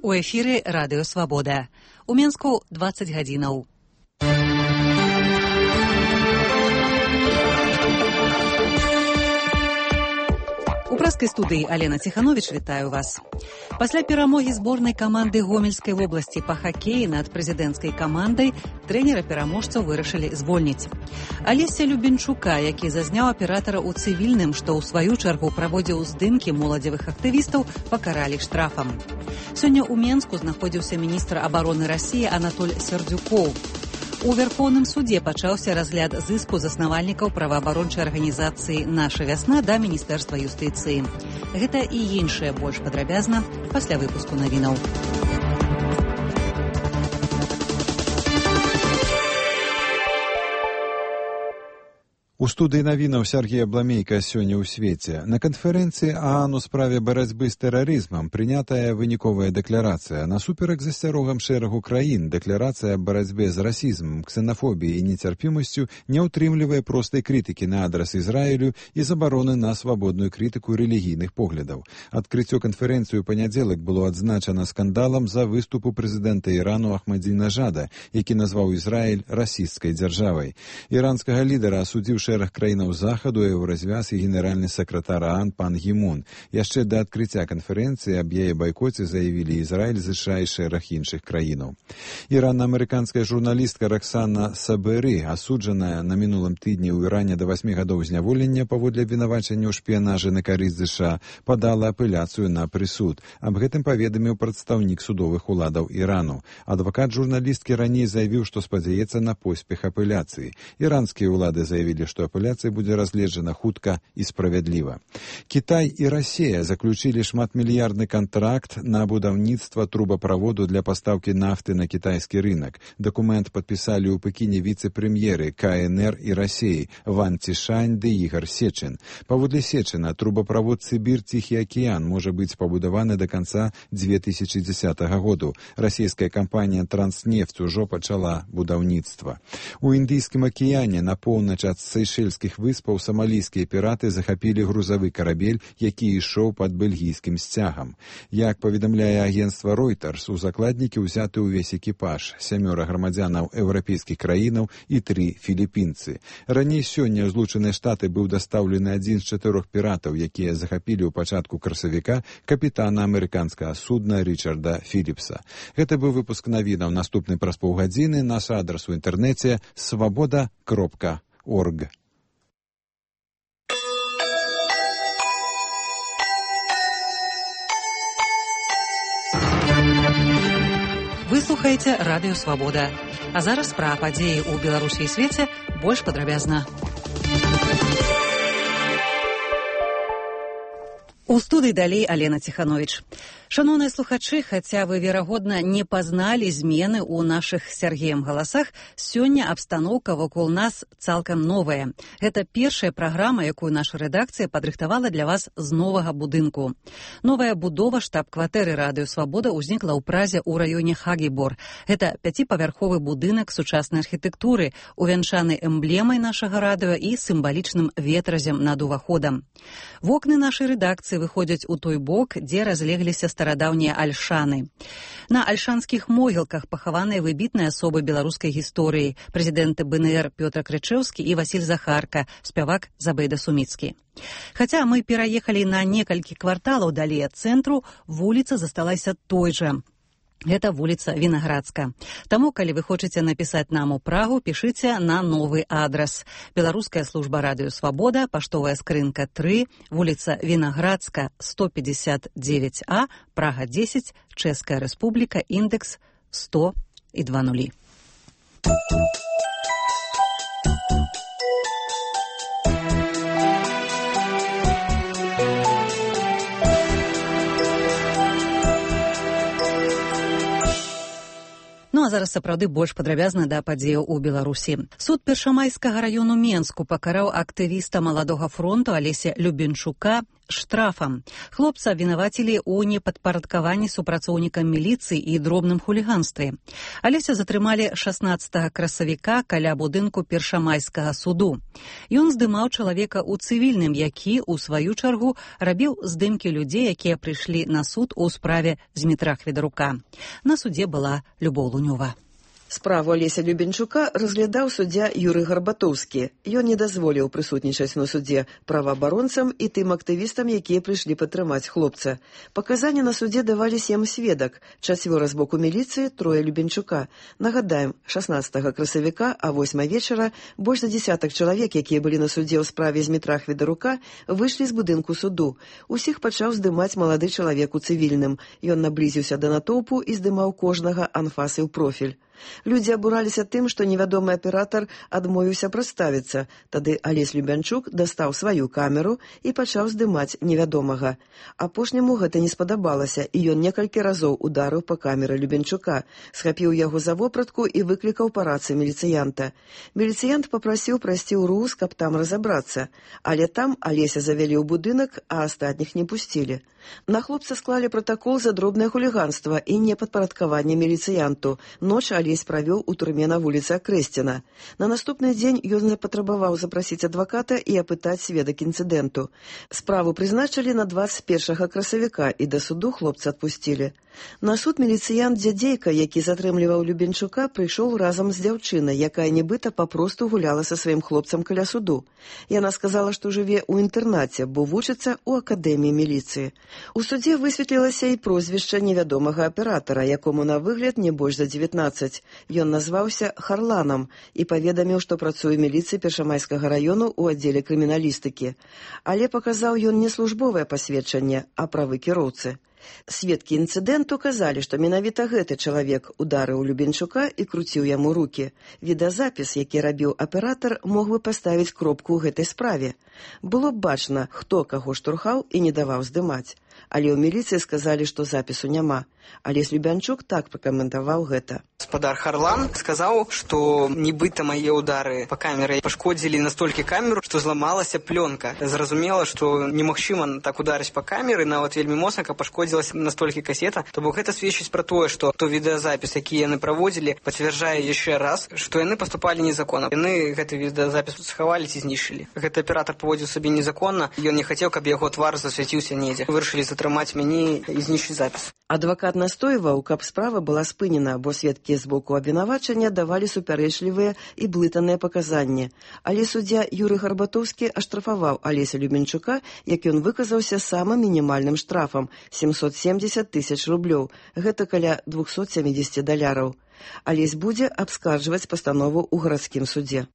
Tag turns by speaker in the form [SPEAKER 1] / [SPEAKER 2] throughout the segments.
[SPEAKER 1] У эфіры Радыё Свабода. У Менску 20 гадзінаў. У прэскай студыі Алена Ціхановіч вітаю вас. Пасля перамогі зборнай каманды Гомельскай вобласці па хакеі над прэзідэнцкай камандай трэнера-пераможцаў вырашылі звольніць. Алеся Любенчука, які зазняў аператара ў цывільным, што ў сваю чаргу праводзіў здымкі моладзевых актывістаў, пакаралі штрафам. Сёння ў Менску знаходзіўся міністр абароны Расіі Анатоль Сердзюкоў. У Верховным судзе пачаўся разгляд зыску заснавальнікаў праваабарончай арганізацыі «Наша вясна» да Міністэрства юстыцыі. Гэта і іншае больш падрабязна пасля выпуску навінаў.
[SPEAKER 2] У студыі навінаў Сергія Бламейка сёння ў свеце. На канферэнцыі ААН у справе барацьбы з тэрарызмам прынятая выніковая дэкларацыя. Насуперак засцярогам шэрагу краін дэкларацыя аб барацьбе з расізмам, ксенафобіяй і нецярпімасцю не ўтрымлівае простай крытыкі на адрас Ізраілю і забароны на свабодную крытыку рэлігійных поглядаў. Адкрыццё канферэнцыі ў панядзелак было адзначана скандалам за выступу прэзідэнта Ірану Ахмадзінежада, які назваў Ізраіль расісцкай дзяржавай. Іранскага лідара асудзіў шэраг краінаў захаду, еўразвяз і генеральны сакратар ААН пан Гімон. Яшчэ да адкрыцця канферэнцыі аб яе байкоце заявілі Ізраіль, ЗША і шэраг іншых краінаў. Іранна-амерыканская журналістка Роксана Саберы, асуджаная на мінулым тыдні ў Іране да 8 гадоў зняволення паводле абвінавачання ў шпіянажы на карысць ЗША, падала апеляцыю на прысуд. Аб гэтым паведаміў прадстаўнік судовых уладаў Ірану. Адвакат журналісткі раней заявіў, што спадзяецца на поспех апеляцыі. Іранскія ўлады заявілі, што апеляцыя будзе разгледжана хутка і справядліва. Кітай і Расія заключілі шматмільярдны кантракт на будаўніцтва трубаправоду для пастаўкі нафты на кітайскі рынак. Дакумент падпісалі ў Пекіне віцэ-прэм'еры КНР і Расіі Ван Цішань ды Ігар Сечын. Паводле Сечына, трубаправод Сібір-Ціхі акіян можа быць пабудаваны да канца 2010 году. Расійская кампанія «Транснефть» ужо пачала будаўніцтва. У Індыйскім акіяне на поўнач ад Сейшэльскіх выспаў самалійскія піраты захапілі грузавы карабель, які ішоў пад бельгійскім сцягам. Як паведамляе агенцтва Reuters, у закладнікі ўзяты ўвесь экіпаж, 7 грамадзянаў еўрапейскіх краінаў і 3 філіпінцы. Раней сёння ў Злучаныя Штаты быў дастаўлены адзін з 4 піратаў, якія захапілі ў пачатку красавіка капітана амерыканскага судна Річарда Філіпса. Гэта быў выпуск навінаў. Наступны праз паўгадзіны. Наш адрас у інтэрнэце swaboda.org.
[SPEAKER 1] Вы слухаеце Радыё Свабода. А зараз пра падзеі ў Беларусі і свеце больш падрабязна. У студыі далей Алена Ціхановіч. Шаноўныя слухачы, хаця вы, верагодна, не пазналі змены ў нашых з Сергеем галасах, сёння абстаноўка вакол нас цалкам новая. Гэта першая праграма, якую наша рэдакцыя падрыхтавала для вас з новага будынку. Новая будова штаб-кватэры Радыё Свабода ўзнікла ў Празе ў раёне Хагібор. Гэта 5-павярховы будынак сучаснай архітэктуры, увянчаны эмблемай нашага радыё і сімвалічным ветразем над уваходам. Вокны нашай рэдакцыі выходзяць у той бок, дзе разлегліся старадаўнія альшаны. На альшанскіх могілках пахаваныя выбітныя асобы беларускай гісторыі, прэзідэнты БНР Пётр Крычэўскі і Васіль Захарка, спявак Забейда Суміцкі. Хаця мы пераехалі на некалькі кварталаў далей ад цэнтру, вуліца засталася той жа. Гэта вуліца Вінаградска. Таму, калі вы хочаце напісаць нам у Прагу, пішыце на новы адрас. Беларуская служба Радыё Свабода, паштовая скрынка 3, вуліца Вінаградска, 159А, Прага 10, Чэшская Рэспубліка, індекс 100,2. А зараз сапраўды больш падрабязна да падзеяў у Беларусі. Суд Першамайскага раёну Менску пакараў актывіста Маладога фронту Алеся Любенчука штрафам. Хлопца абвінавацілі ў непадпарадкаванні супрацоўнікам міліцыі і дробным хуліганстве. Алеся затрымалі 16 красавіка каля будынку першамайскага суду. Ён здымаў чалавека ў цывільным, які, у сваю чаргу, рабіў здымкі людзей, якія прыйшлі на суд у справе Змітра Хведарука. На судзе была Любоў Лунёва.
[SPEAKER 3] Справу Алеся Любенчука разглядаў суддзя Юрый Гарбатоўскі. Ён не дазволіў прысутнічаць на судзе праваабаронцам і тым актывістам, якія прыйшлі падтрымаць хлопца. Паказанні на судзе давалі 7 сведак, 4 з боку міліцыі, 3 Любенчука. Нагадаем, 16 красавіка, а 8 вечара больш за десятак чалавек, якія былі на судзе ў справе Змітра Хведарука, выйшлі з будынку суду. Усіх пачаў здымаць малады чалавек у цывільным. Ён наблізіўся да натоўпу і здымаў кожнага анфасы ў профіль. Людзі абураліся тым, што невядомы аператар адмовіўся прадставіцца. Тады Алесь Любянчук дастаў сваю камеру і пачаў здымаць невядомага. Апошняму гэта не спадабалася, і ён некалькі разоў ударыў па камеры Любянчука, схапіў яго за вопратку і выклікаў па рацыі міліцыянта. Міліцыянт папрасіў прайсці ў РУС, каб там разабрацца. Але там Алеся завялі ў будынак, а астатніх не пусцілі. На хлопца склалі пратакол за дробнае хуліганства і непадпарадкаванне міліцыянту. Ноч Алесь правёў у турме на вуліцы Акрэсціна. На наступны дзень ён запатрабаваў запрасіць адваката і апытаць сведак інцыдэнту. Справу прызначылі на 21 красавіка і да суду хлопца адпусцілі. На суд міліцыянт Дзядзейка, які затрымліваў Любенчука, прыйшоў разам з дзяўчынай, якая нібыта папросту гуляла са сваім хлопцам каля суду. Яна сказала, што жыве ў інтэрнаце, бо вучыцца ў акадэміі міліцыі. У судзе высветлілася і прозвішча невядомага аператара, якому на выгляд не больш за 19. Ён назваўся Харланам і паведаміў, што працуе ў міліцыі Першамайскага раёну ў аддзеле крыміналістыкі. Але паказаў ён не службовае пасведчанне, а правы кіроўцы. Сведкі інцыдэнту казалі, што менавіта гэты чалавек ударыў Любенчука і круціў яму рукі. Відэазапіс, які рабіў аператар, мог бы паставіць кропку ў гэтай справе. Было б бачна, хто каго штурхаў і не даваў здымаць. Але ў міліцыі сказалі, што запісу няма. Алесь Любянчук так пракаментаваў гэта.
[SPEAKER 4] Гаспадар Харлан сказаў, што нібыта мае ўдары па камеры пашкодзілі настолькі камеру, што зламалася плёнка. Зразумела, што немагчыма так ударыць па камеры, нават вельмі моцна, каб пашкодзілася настолькі касета. То бок гэта сведчыць пра тое, што той відэазапіс, які яны праводзілі, пацвярджае яшчэ раз, што яны паступалі незаконна. Яны гэты відэазапіс схавалі ці знішчылі. Гэты аператар паводзіў сабе незаконна, ён не хацеў, каб яго твар засвяціўся недзе. Вырашылі затрымаць мяне і знішчыць запіс.
[SPEAKER 3] Адвакат настойваў, каб справа была спынена, бо сведкі з боку абвінавачання давалі супярэчлівыя і блытаныя паказанні. Але суддзя Юрый Гарбатоўскі аштрафаваў Алеся Любенчука, як ён выказаўся самым мінімальным штрафам – 770 000 рублёў. Гэта каля $270. Алесь будзе абскарджваць пастанову ў гарадскім судзе.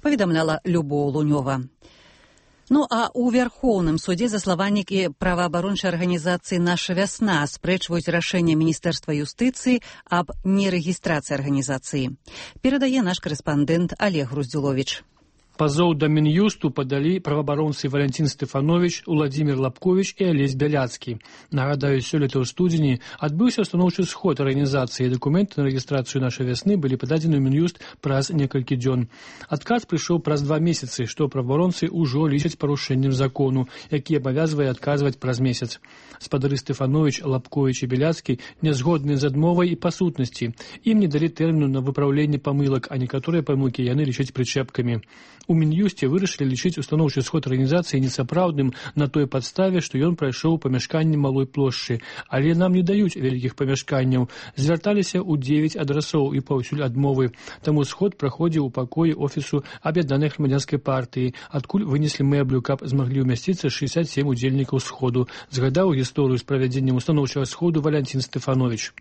[SPEAKER 1] Паведамляла Любоў Лунёва. Ну, а ў Вярхоўным судзе заславальнікі праваабарончай арганізацыі «Наша вясна» спрэчваюць рашэнне Міністэрства юстыцыі аб нерэгістрацыі арганізацыі. Перадае наш корэспандэнт Олег Груздзюловіч.
[SPEAKER 5] Пазоў да Мін'юсту падалі праваабаронцы Валянцін Стэфанович, Уладзімір Лапковіч і Алесь Бяляцкі. Нагадаю, сёлета ў студзені адбыўся устаноўчы сход арганізацыі. Дакументы на рэгістрацыю «Нашай вясны» былі пададзены ў Мін'юст праз некалькі дзён. Адказ прыйшоў праз 2 месяцы, што праваабаронцы ўжо лічаць парушэннем закону, які абавязвае адказваць праз месяц. Спадары Стэфанович, Лапковіч і Бяляцкі нязгодныя з адмовай і па сутнасці. Ім не далі тэрміну на выпраўленне памылак, а некаторыя памылкі яны лічаць прычэпкамі. У Мін'юсце вырашылі лічыць устаноўчы сход арганізацыі несапраўдным на той падставе, што ён прайшоў у памяшканні малой плошчы, але нам не даюць вялікіх памяшканняў. Звярталіся ў 9 адрасоў і паўсюль адмовы. Таму сход праходзіў у пакоі офісу Аб'яднанай грамадзянскай партыі, адкуль вынеслі мэблю, каб змаглі ўмясціцца 67 удзельнікаў сходу. Згадаў гісторыю з правядзеннем устаноўчага сходу Валянцін Стэфанович.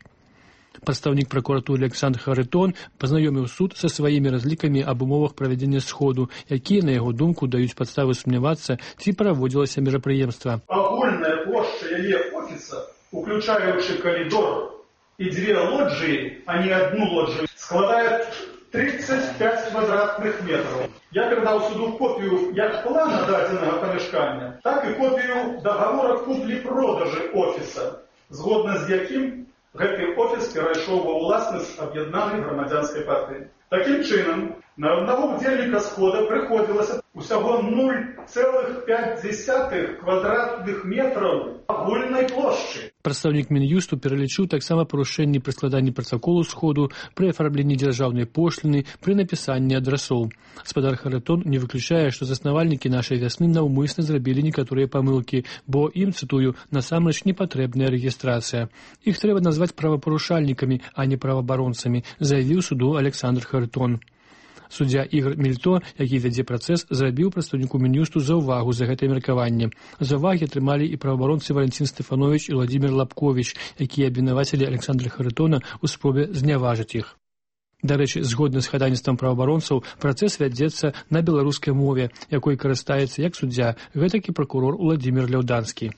[SPEAKER 5] Прадстаўнік пракуратуры Александр Харитон пазнаёміў суд са сваімі разлікамі аб умовах правядзення сходу, якія, на яго думку, даюць падставы сумнявацца, ці праводзілася мерапрыемства.
[SPEAKER 6] Агульная плошча яе офіса, уключаючы калідор і 2 лоджыі, а не 1 лоджыю, складае 35 квадратных метров. Я передал суду копию як плана дадзенага памяшкання, так і копію договора куплі-продажы офіса, згодна з якім гэты офіс перайшоў ва ўласнасць Аб'яднанай грамадзянскай партыі. Такім чынам, На одного удзельніка схода прыходзілася усяго 0,5 квадратных метраў агульнай плошчы.
[SPEAKER 5] Прадстаўнік Мін'юсту пералічыў таксама парушэнні пры складанні пратаколу сходу, пры афармленні дзяржаўнай пошліны, пры напісанні адрасоў. Гаспадар Харытон не выключае, што заснавальнікі нашай вясны наўмысна зрабілі некаторыя памылкі, бо ім, цытую, насамрэч не патрэбная рэгістрацыя. Іх трэба назваць правапарушальнікамі, а не праваабаронцамі, заявіў суду Александр Харытон. Суддзя Ігор Мільто, які вядзе працэс, зрабіў прадстаўніку Мін'юсту заўвагу за гэтае меркаванне. Заўвагі атрымалі і праваабаронцы Валентин Стефанович і Владимир Лапкович, якія абвінавацілі Александра Харытона ў спробе зняважыць іх. Дарэчы, згодна з хадайніцтвам праваабаронцаў, працэс вядзецца на беларускай мове, якой карыстаецца як суддзя, гэтак і пракурор Владимир Ляўданскі.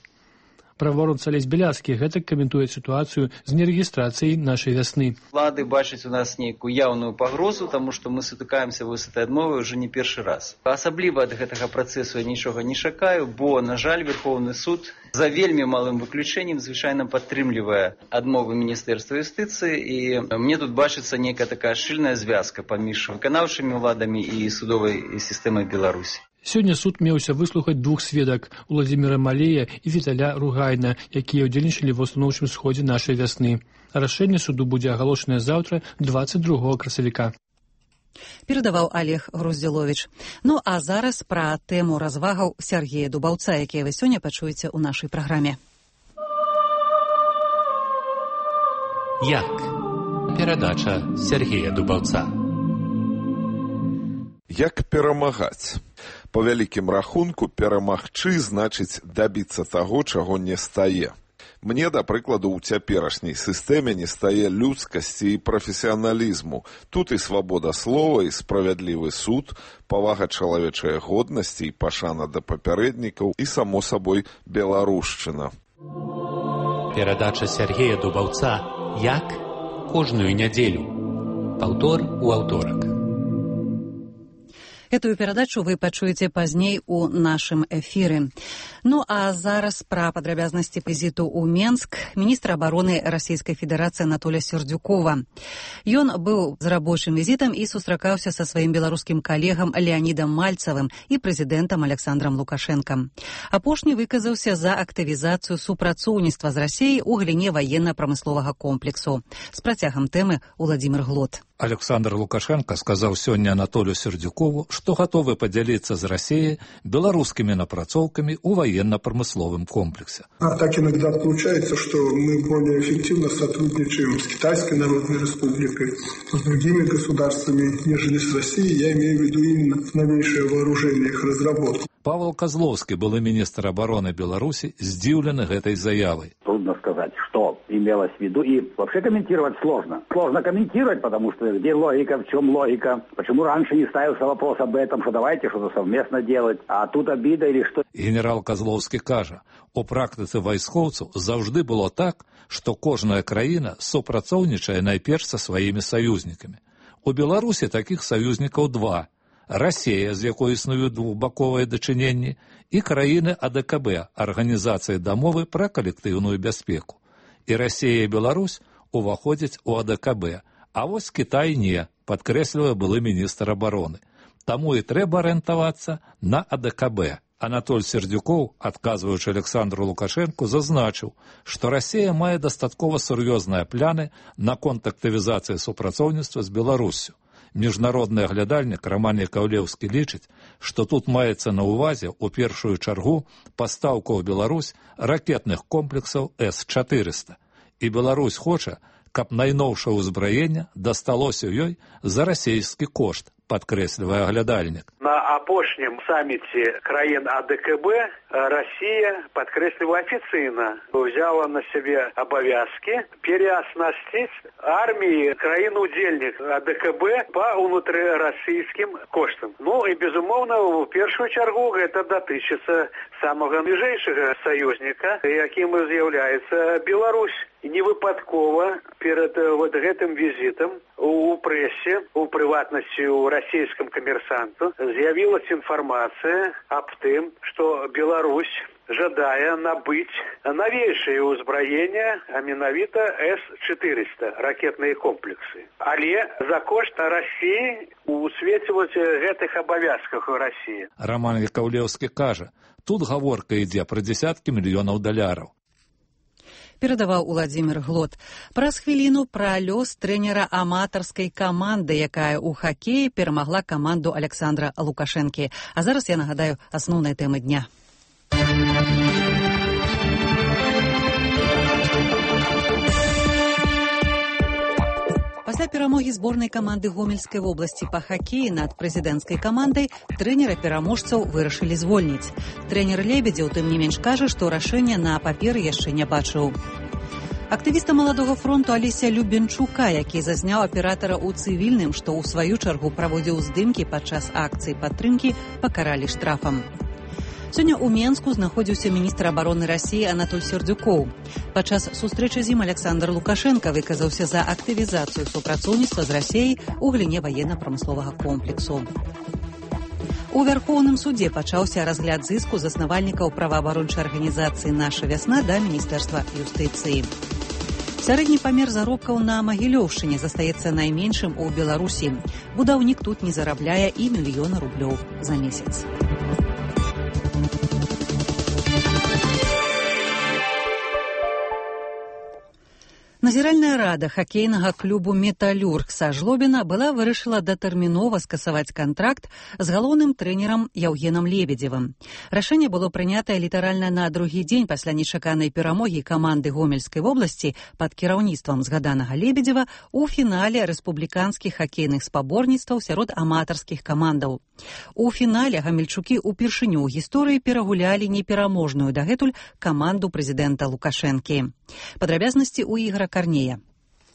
[SPEAKER 5] Праваабаронца Алесь Бяляцкі гэтак каментуе сітуацыю з нерэгістрацыяй нашай вясны.
[SPEAKER 7] Улады бачаць у нас нейкую яўную пагрозу, таму што мы сутыкаемся з этой адмовай уже не першы раз. Асабліва ад гэтага працэсу я нічога не чакаю, бо, на жаль, Верховны суд за вельмі малым выключэннем звычайна падтрымлівае адмовы Міністэрства юстыцыі, і мне тут бачыцца нейкая такая шчыльная звязка паміж выканаўчымі ўладамі і судовай сістэмай Беларусі.
[SPEAKER 5] Сёння суд меўся выслухаць двух сведак – Уладзіміра Малея і Віталя Ругайна, якія ўдзельнічалі ва ўстаноўчым сходзе нашай вясны. Рашэнне суду будзе агалошанае заўтра, 22 красавіка.
[SPEAKER 1] Перадаваў Олег Груздзіловіч. Ну а зараз пра тэму развагаў Сергея Дубаўца, якія вы сёння пачуеце ў нашай праграме.
[SPEAKER 8] Як? Перадача Сергея Дубаўца.
[SPEAKER 9] Як перамагаць? Па вялікім рахунку, перамагчы значыць дабіцца таго, чаго не стае. Мне, да прыкладу, у цяперашняй сістэме не стае людскасці і прафесіяналізму. Тут і свабода слова, і справядлівы суд, павага чалавечай годнасці і пашана да папярэднікаў, і, само сабой, беларушчына.
[SPEAKER 8] Перадача Сергея Дубаўца «Як?» кожную нядзелю. Паўтор у аўторак.
[SPEAKER 1] Этую перадачу вы пачуеце пазней у нашым эфіры. Ну а зараз пра падрабязнасці візіту ў Менск міністра абароны Расійскай Федэрацыі Анатолія Сердюкова. Ён быў з рабочым візітам і сустракаўся са сваім беларускім калегам Леанідам Мальцавым і прэзідэнтам Александрам Лукашэнкам. Апошні выказаўся за актывізацыю супрацоўніцтва з Расіяй у галіне ваенна-прамысловага комплексу. З працягам тэмы Владимир Глот.
[SPEAKER 10] Александр Лукашенко сказаў сёння Анатолию Сердюкову, што гатовы падзяліцца з Расіяй беларускімі напрацоўкамі ў военно-промысловом комплексе.
[SPEAKER 11] А так иногда получается, что мы более эффективно сотрудничаем с Китайской Народной Республикой, с другими государствами, нежели с Россией. Я имею в виду именно новейшее вооружение, их разработку.
[SPEAKER 10] Павел Козловский, былы министр обороны Беларуси, здзіўлены гэтай заявой.
[SPEAKER 12] Трудно сказать, что имелось в виду, и вообще комментировать сложно. Сложно комментировать, потому что где логика, в чем логика, почему раньше не ставился вопрос об этом, что давайте что-то совместно делать, а тут обида или что.
[SPEAKER 10] Генерал Козловский кажа, у практыцы вайскоўцаў заўжды было так, што кожная краіна супрацоўнічае найперш са сваімі саюзнікамі. У Беларусі такіх саюзнікаў два. Расія, з якой існуюць двухбаковыя дачыненні, і краіны АДКБ, Арганізацыі дамовы пра калектыўную бяспеку. І Расія і Беларусь уваходзяць у АДКБ, а вось Кітай не, падкрэслівае былы міністр абароны. Таму і трэба арыентавацца на АДКБ. Анатоль Сердюков, адказваючы Александру Лукашенку, зазначыў, што Расія мае дастаткова сур'ёзныя пляны наконт актывізацыі супрацоўніцтва з Беларуссю. Міжнародны аглядальнік Роман Яковлеўскі лічыць, што тут маецца на ўвазе ў першую чаргу пастаўка ў Беларусь ракетных комплексаў С-400. І Беларусь хоча, каб найноўшае ўзбраенне дасталося ёй за расійскі кошт, падкрэслівае аглядальнік.
[SPEAKER 13] На апошнім саміце краін АДКБ Россия, падкрэсліваю афіцыйна, взяла на себе обовязки переоснастить армии краін-удзельных АДКБ по внутрирассийским коштам. Ну и, безумоўна, в первую чаргу это датычыцца самого ближайшего союзника, яким з'яўляецца Беларусь. І не выпадкова перед вот гэтым візітам у прэсе, у прыватнасці у расійскім камерсанту з'явилась інфармацыя аб тым, што Беларусь жадае набыць новейшее ўзбраенне, а менавіта С-400 ракетныя комплексы. Але за кошт Расіі у свеце гэтых абавязках у Расіі.
[SPEAKER 10] Роман Яковлевскі кажа, тут гаворка ідзе пра дзесяткі мільёнаў даляраў.
[SPEAKER 1] Перадаваў Уладзімір Глот. Праз хвіліну пра лёс трэнера аматарскай каманды, якая ў хакеі перамагла каманду Александра Лукашэнкі. А зараз я нагадаю асноўныя тэмы дня. Пасля перамогі зборнай каманды Гомельскай вобласці па хакеі над прэзідэнцкай камандай трэнера-пераможцаў вырашылі звольніць. Трэнер Лебедзеў, тым не менш, кажа, што рашэння на паперы яшчэ не бачыў. Актывіста Маладога фронту Алеся Любенчука, які зазняў аператара ў цывільным, што ў сваю чаргу праводзіў здымкі падчас акцыі падтрымкі, пакаралі штрафам. Сёння ў Менску знаходзіўся міністр абароны Расіі Анатоль Сердюкоў. Падчас сустрэчы з ім Александр Лукашенко выказаўся за актывізацыю супрацоўніцтва з Расіяй у галіне ваенна-прамысловага комплексу. У Вярхоўным судзе пачаўся разгляд зыску заснавальнікаў праваабарончай арганізацыі «Наша вясна» да Міністэрства юстыцыі. Сярэдні памер заробкаў на Магілёўшчыне застаецца найменшым у Беларусі. Будаўнік тут не зарабляе і мільёна рублёў за месяц. Назіральная рада хакейнага клубу «Металлюрг» са Жлобіна была вырашыла датэрмінова скасаваць кантракт з галоўным трэнерам Яўгенам Лебедзевым. Рашэнне было прынятае літаральна на другі дзень пасля нечаканай перамогі каманды Гомельскай вобласці пад кіраўніцтвам згаданага Лебедзева ў фінале рэспубліканскіх хакейных спаборніцтваў сярод аматарскіх камандаў. У фінале гамельчукі ўпершыню ў гісторыі перагулялі непераможную дагэтуль каманду прэзідэнта Лукашэнкі. Падрабязнасці ў Ігора Карнея.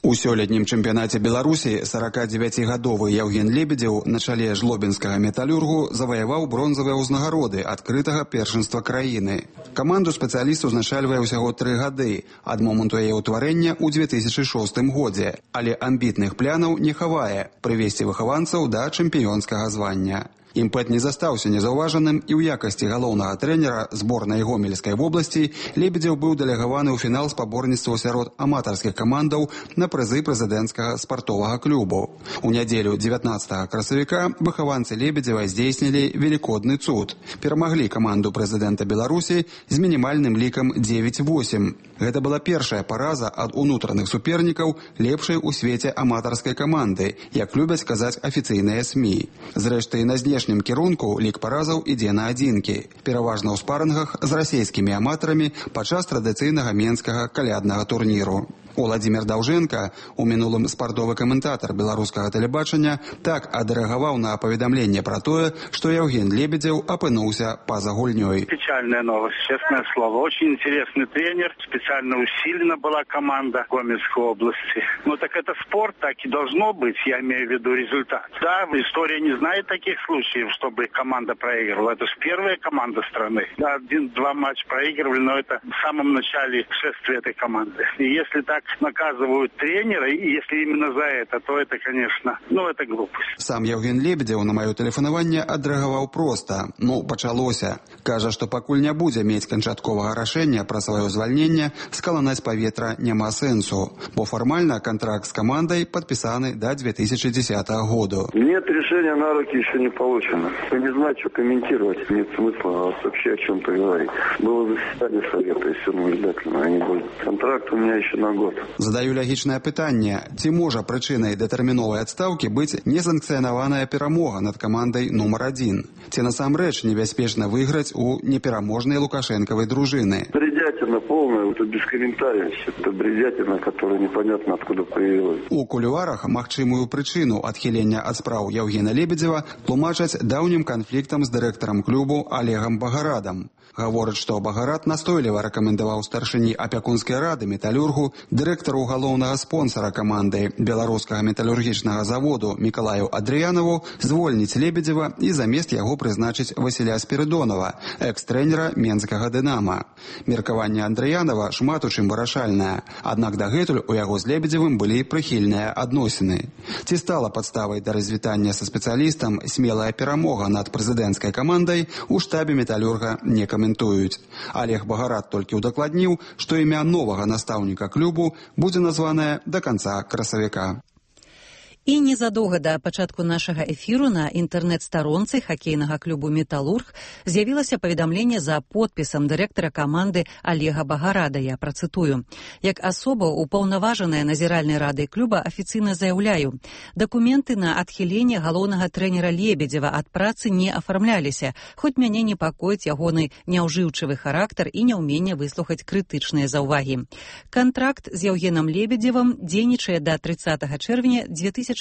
[SPEAKER 14] У сёлетнім чэмпіянаце Беларусі 49-гадовы Яўген Лебедзеў на чале жлобінскага металлюргу заваяваў бронзавыя ўзнагароды адкрытага першынства краіны. Каманду спецыяліст узначальвае ўсяго 3 гады ад моманту яе ўтварэння ў 2006 годзе, але амбітных плянаў не хавае прывесці выхаванцаў да чэмпіёнскага звання. Імпэт не застаўся незаўважаным і ў якасці галоўнага трэнера зборнай Гомельскай вобласці Лебедзеў быў дэлегаваны ў фінал спаборніцтваў сярод аматарскіх камандаў на прызы прэзідэнцкага спартовага клубу. У нядзелю 19 красавіка выхаванцы Лебедзева здзейснілі велікодны цуд. Перамаглі каманду прэзідэнта Беларусі з мінімальным лікам 9-8. Гэта была першая параза ад унутраных супернікаў лепшай у свеце аматарскай каманды, як любяць казаць афіцыйныя СМІ. Зрэшты, на знешнім кірунку лік паразаў ідзе на адзінкі, пераважна ў спарынгах з расійскімі аматарамі падчас традыцыйнага менскага каляднага турніру. Уладзімір Даўжэнка, у мінулым спартовы каментатар беларускага тэлебачання, так адрэагаваў на паведамленне пра тое, што Яўген Лебедзеў апынуўся па-за гульнёй.
[SPEAKER 15] Печальная новость, честное слово. Очень интересный тренер, специально усилена была команда Гомельской области. Ну так это спорт, так и должно быть, я имею в виду результат. Да, история не знает таких случаев, чтобы команда проигрывала. Это же первая команда страны. Да, 1-2 матча проигрывали, но это в самом начале шествия этой команды. И если так наказывают тренера, и если именно за это, то это, конечно, это глупость.
[SPEAKER 14] Сам Яўген Лебедзеў на маё тэлефанаванне адрэагаваў проста. Пачалося. Кажа, што пакуль не будзе мець канчатковага рашэння пра сваё звальненне, скаланаць паветра няма сэнсу, бо фармальна контракт с командой подписаны до 2010 года.
[SPEAKER 16] Нет, решения на руки еще не получено. Не знаю, что комментировать, нет смысла вообще о чем-то говорить. Было заседание совета, и все наблюдательно, они были. Контракт у меня еще на год.
[SPEAKER 14] Задаю логічнае пытанне, ці можа прычынай датэрміновай адстаўкі быць несанкцыянаваная перамога над камандай нумар 1? Ці насамрэч небяспечна выйграць у непераможнай лукашэнкавай дружыны?
[SPEAKER 16] Бредятина полная, это без комментариев. Это бредятина, которая непонятно откуда появилась.
[SPEAKER 14] У кулуарах магчымую прычыну адхілення ад спраў Яўгена Лебедзева тлумачаць даўнім канфліктам з дырэктарам клубу Олегам Багарадам. Гавораць, што Багарад настойліва рэкамендаваў старшыні апякунскай рады металлюргу, дырэктару галоўнага спонсара каманды беларускага металлургічнага заводу Мікалаю Адрыянаву звольніць Лебедзева і замест яго прызначыць Васіля Спірыдонава, экс-трэнера менскага «Дынама». Меркаванне пытанне Андраянова шмат у чым вырашальнае. Аднак дагэтуль у яго з Лебедзевым былі прыхільныя адносіны. Ці стала падставай да развітання са спецыялістам смелая перамога над прэзідэнцкай камандай у штабе металлюрга не каментуюць. Олег Багарат толькі удакладніў, што імя новага настаўніка клубу будзе названае да канца красавіка.
[SPEAKER 1] І незадоўга да пачатку нашага эфіру на інтэрнэт-старонцы хакейнага клубу «Металлург» з'явілася паведамленне за подпісам дырэктара каманды Олега Багарада. Я працытую. Як асоба упаўнаважаная назіральнай радай клуба афіцыйна заяўляю, дакументы на адхіленне галоўнага трэнера Лебедзева ад працы не афармляліся, хоць мяне непакоіць ягоны няўжыўчывы характар і няўменне выслухаць крытычныя заўвагі. Кантракт з Яўгенам Лебедзевым дзейнічае да 30 чэрвеня 2010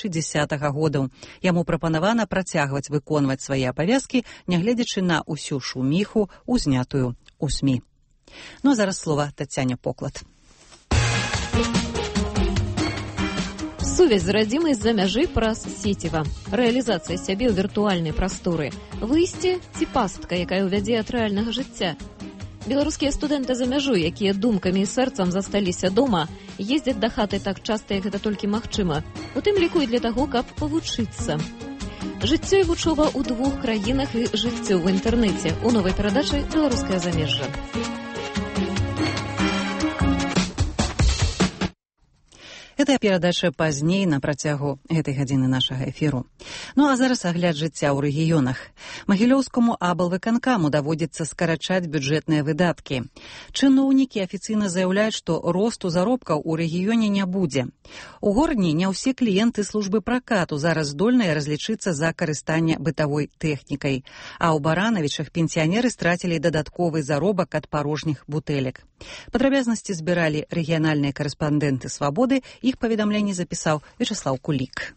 [SPEAKER 1] года. Яму прапанавана працягваць выконваць свае абавязкі, нягледзячы на ўсю шуміху, узнятую ў СМІ. Ну а зараз слова Тацяне Поклад.
[SPEAKER 17] Сувязь з радзімай з-за мяжы праз сеціва. Рэалізацыя сябе ў віртуальнай прасторы. Выйсце ці пастка, якая ўвядзе ад рэальнага жыцця. Беларускія студэнты за мяжу, якія думкамі і сэрцам засталіся дома, ездзяць да хаты так часта, як гэта толькі магчыма. У тым ліку і для таго, каб павучыцца. Жыццё і вучоба ў двух краінах і жыццё ў інтэрнэце. У новай перадачы «Беларускае замежжа».
[SPEAKER 1] Гэта перадача пазней на працягу гэтай гадзіны нашага эфіру. Ну а зараз агляд жыцця ў рэгіёнах. Магілёўскаму аблвыканкаму даводзіцца скарачаць бюджэтныя выдаткі. Чыноўнікі афіцыйна заяўляюць, што росту заробкаў у рэгіёне не будзе. У горадні не ўсе кліенты службы пракату зараз здольныя разлічыцца за карыстанне бытавой тэхнікай. А ў Баранавічах пенсіянеры страцілі дадатковы заробак ад парожніх бутэлек. Падрабязнасці збіралі рэгіянальныя карэспандэнты «Свабоды». Их поведомление записал Вячеслав Кулик.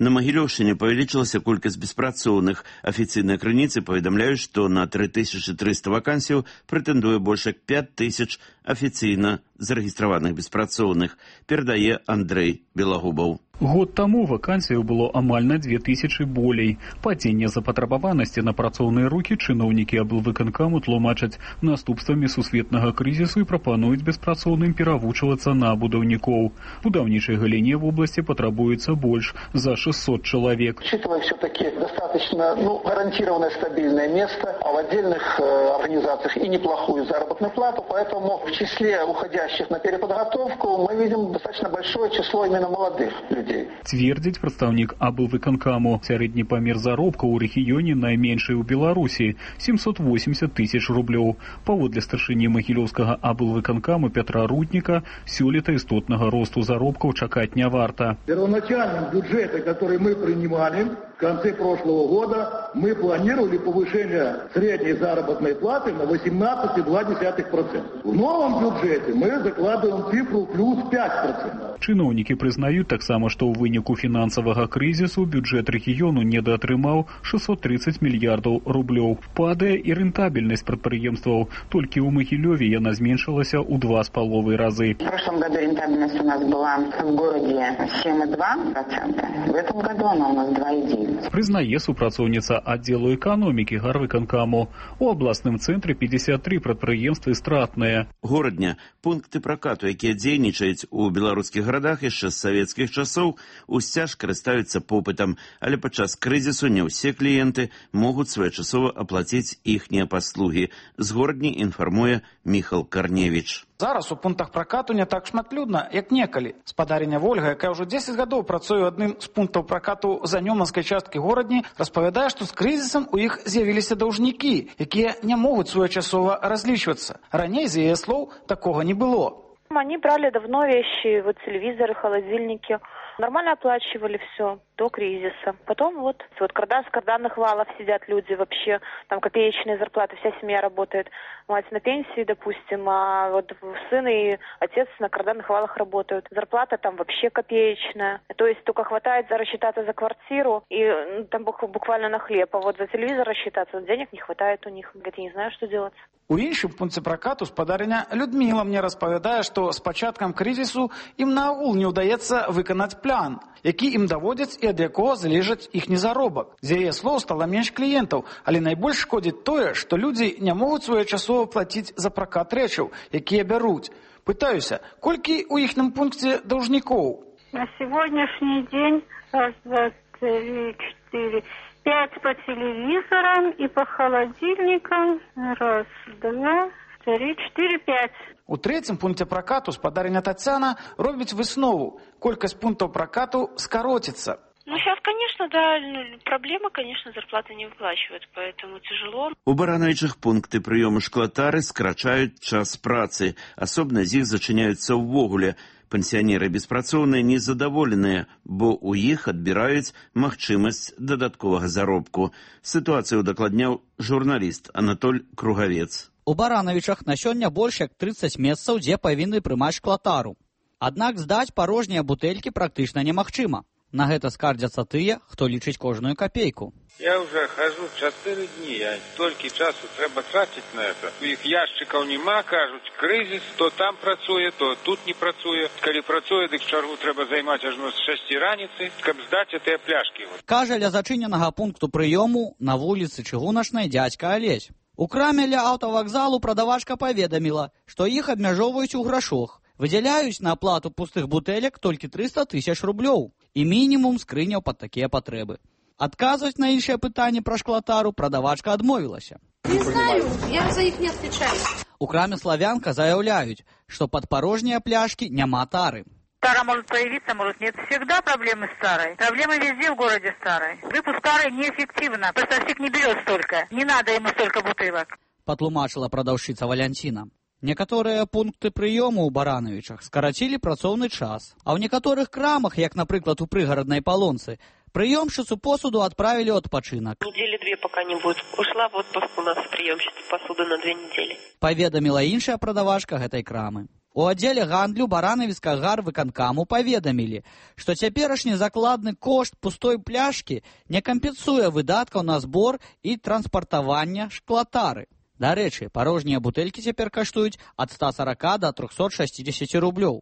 [SPEAKER 18] На Магілёўшчыне павялічылася колькасць беспрацоўных. Афіцыйныя крыніцы паведамляюць, што на 3300 вакансіяў прэтэндуе больш як 5000 афіцыйна зарэгістраваных беспрацоўных, перадае Андрэй Белагубаў.
[SPEAKER 19] Год таму вакансіяў было амаль на 2000 болей. Падзенне запатрабаванасці на працоўныя рукі чыноўнікі аблвыканкаму тлумачаць наступствамі сусветнага крызісу і прапануюць беспрацоўным перавучвацца на будаўнікоў. Будаўнічай галіне в области потребуется больше за 600 человек.
[SPEAKER 20] Учитывая все-таки достаточно гарантированное стабильное место, а в отдельных организациях и неплохую заработную плату, поэтому в числе уходящих на переподготовку мы видим достаточно большое число именно молодых людей.
[SPEAKER 19] Цвердзіць прадстаўнік аблвыканкаму. Сярэдні памер заробка ў рэгіёне найменшы ў Беларусі 780 тысяч рублёў. Паводле старшыні магілёўскага аблвыканкаму Петра Рудніка, сёлета істотнага росту заробкаў чакаць не варта.
[SPEAKER 21] Первоначальном бюджете, который мы принимали в конце прошлого года, мы планировали повышение средней заработной платы на 18,2%. В новом бюджете мы закладываем цифру плюс 5%.
[SPEAKER 19] Чыноўнікі прызнаюць таксама, што ў выніку фінансавага крызісу бюджэт рэгіёну недаатрымаў 630 мільярдаў рублёў. Падае і рэнтабельнасць прадпрыемстваў. Толькі ў Магілёве яна зменшылася ў 2,5 разы.
[SPEAKER 22] В прошлом году рентабельность у нас была в городе 7,2%. В этом году она у нас 2,9%.
[SPEAKER 19] Прызнае супрацоўніца аддзелу эканомікі гарвыканкаму. У абласным цэнтры 53 прадпрыемствы стратныя.
[SPEAKER 18] Горадня пункты пракату, якія дзейнічаюць у беларускіх гарадах яшчэ з савецкіх часоў, усцяж карыстаюцца попытам, але падчас крызісу не ўсе кліенты могуць своечасова аплаціць іхнія паслугі. З горадні інфармуе Міхал Карневіч.
[SPEAKER 23] Зараз у пунктах пракату не так шматлюдна, як некалі. Спадарыня Вольга, якая ўжо 10 гадоў працуе адным з пунктаў пракату занёманскай часткі горадні, распавядае, што з крызісам у іх з'явіліся даўжнікі, якія не могуць своечасова разлічвацца. Раней, з яе слоў, такога не было.
[SPEAKER 24] Они брали давно вещи, вот телевизоры, холодильники. Нормально оплачивали все до кризиса. Потом вот с карданных валов сидят люди вообще, там копеечные зарплаты, вся семья работает. Мать на пенсии, допустим, а вот сын и отец на карданных валах работают. Зарплата там вообще копеечная. То есть только хватает рассчитаться за квартиру и там буквально на хлеб. А вот за телевизор рассчитаться, денег не хватает у них. Говорит, я не знаю, что делать.
[SPEAKER 23] У іншым пункце пракату спадарыня Людмила мне распавядае, што з пачаткам крызісу ім наогул не ўдаецца выканаць план. які ім даводзяць і ад якога залежыць іхні заробак. З яе слоў стала менш кліентаў, але найбольш шкодзіць тое, што людзі не могуць своечасова плаціць за пракат рэчаў, якія бяруць. Пытаюся, колькі ў іхнім пункце даўжнікоў?
[SPEAKER 2] На сегодняшний день 1, 2, 3, 4, 5 по телевизорам и по холодильникам. 1, 2, 3, 4, 5.
[SPEAKER 23] У трэцім пункце пракату спадарня Тацяна робіць выснову. Колькасць пунктаў пракату скароціцца.
[SPEAKER 24] Ну, сейчас, конечно, да, проблема, конечно, зарплаты не выплачивают, поэтому тяжело.
[SPEAKER 18] У Барановичах пункты прыёму шклатары скрачаюць час працы. Асобна з іх зачыняюцца ўвогуле. Пенсіянеры беспрацоўныя незадаволеныя, бо ў іх адбіраюць магчымасць дадатковага заробку. Сітуацыю дакладняў журналіст Анатоль Кругавец.
[SPEAKER 3] У Барановичах на сёння больш як 30 месцаў, дзе павінны прымаць шклатару. Аднак здаць парожнія бутэлькі практычна немагчыма. На гэта скардзяцца тыя, хто лічыць кожную капейку.
[SPEAKER 4] Я уже хожу 4 дні, а столькі часу трэба траціць на это. У іх яшчыкаў нема, кажуць, крызіс, то там працуе, то тут не працуе. Калі працуе, дык чаргу трэба займаць ажно з 6 раніцы, каб здаць гэтыя пляшкі.
[SPEAKER 3] Кажа ля зачыненага пункту прыёму на вуліцы Чыгуначнай дзядзька Алесь. У краме ля аўтавакзалу прадавачка паведаміла, што іх абмяжоўваюць у грашох. Выдзяляюць на аплату пустых бутэлек толькі 300 000 рублёў і мінімум скрыняў пад такія патрэбы. Адказваць на іншае пытанне пра шклатару прадавачка адмовілася.
[SPEAKER 6] Не знаю, я за іх не отвечаю.
[SPEAKER 3] У краме «Славянка» заяўляюць, што пад парожнія пляшкі няма тары.
[SPEAKER 6] Тара может появиться, может нет. Всегда проблемы с тарой. Проблемы везде в городе с тарой. Выпуск тары неэффективно. Поставщик не берет столько. Не надо ему столько бутылок.
[SPEAKER 3] Патлумачыла прадаўшчыца Валянціна. Некаторыя пункты прыёму ў Барановичах скарацілі працоўны час, а ў некаторых крамах, як, напрыклад, у прыгараднай Палонцы, прыёмшчыцу посуду адправілі ў адпачынак.
[SPEAKER 24] Недели 2 пока не будет. Ушла в отпуск у нас прыёмшчыца посуды на 2 недели.
[SPEAKER 3] Паведаміла іншая прадавачка гэтай крамы. У аддзеле гандлю Барановіцкага гарвыканкаму паведамілі, што цяперашні закладны кошт пустой пляшкі не кампенсуе выдаткаў на збор і транспартавання шклатары. Дарэчы, парожнія бутэлькі цяпер каштуюць ад 140 до 360 рублёў.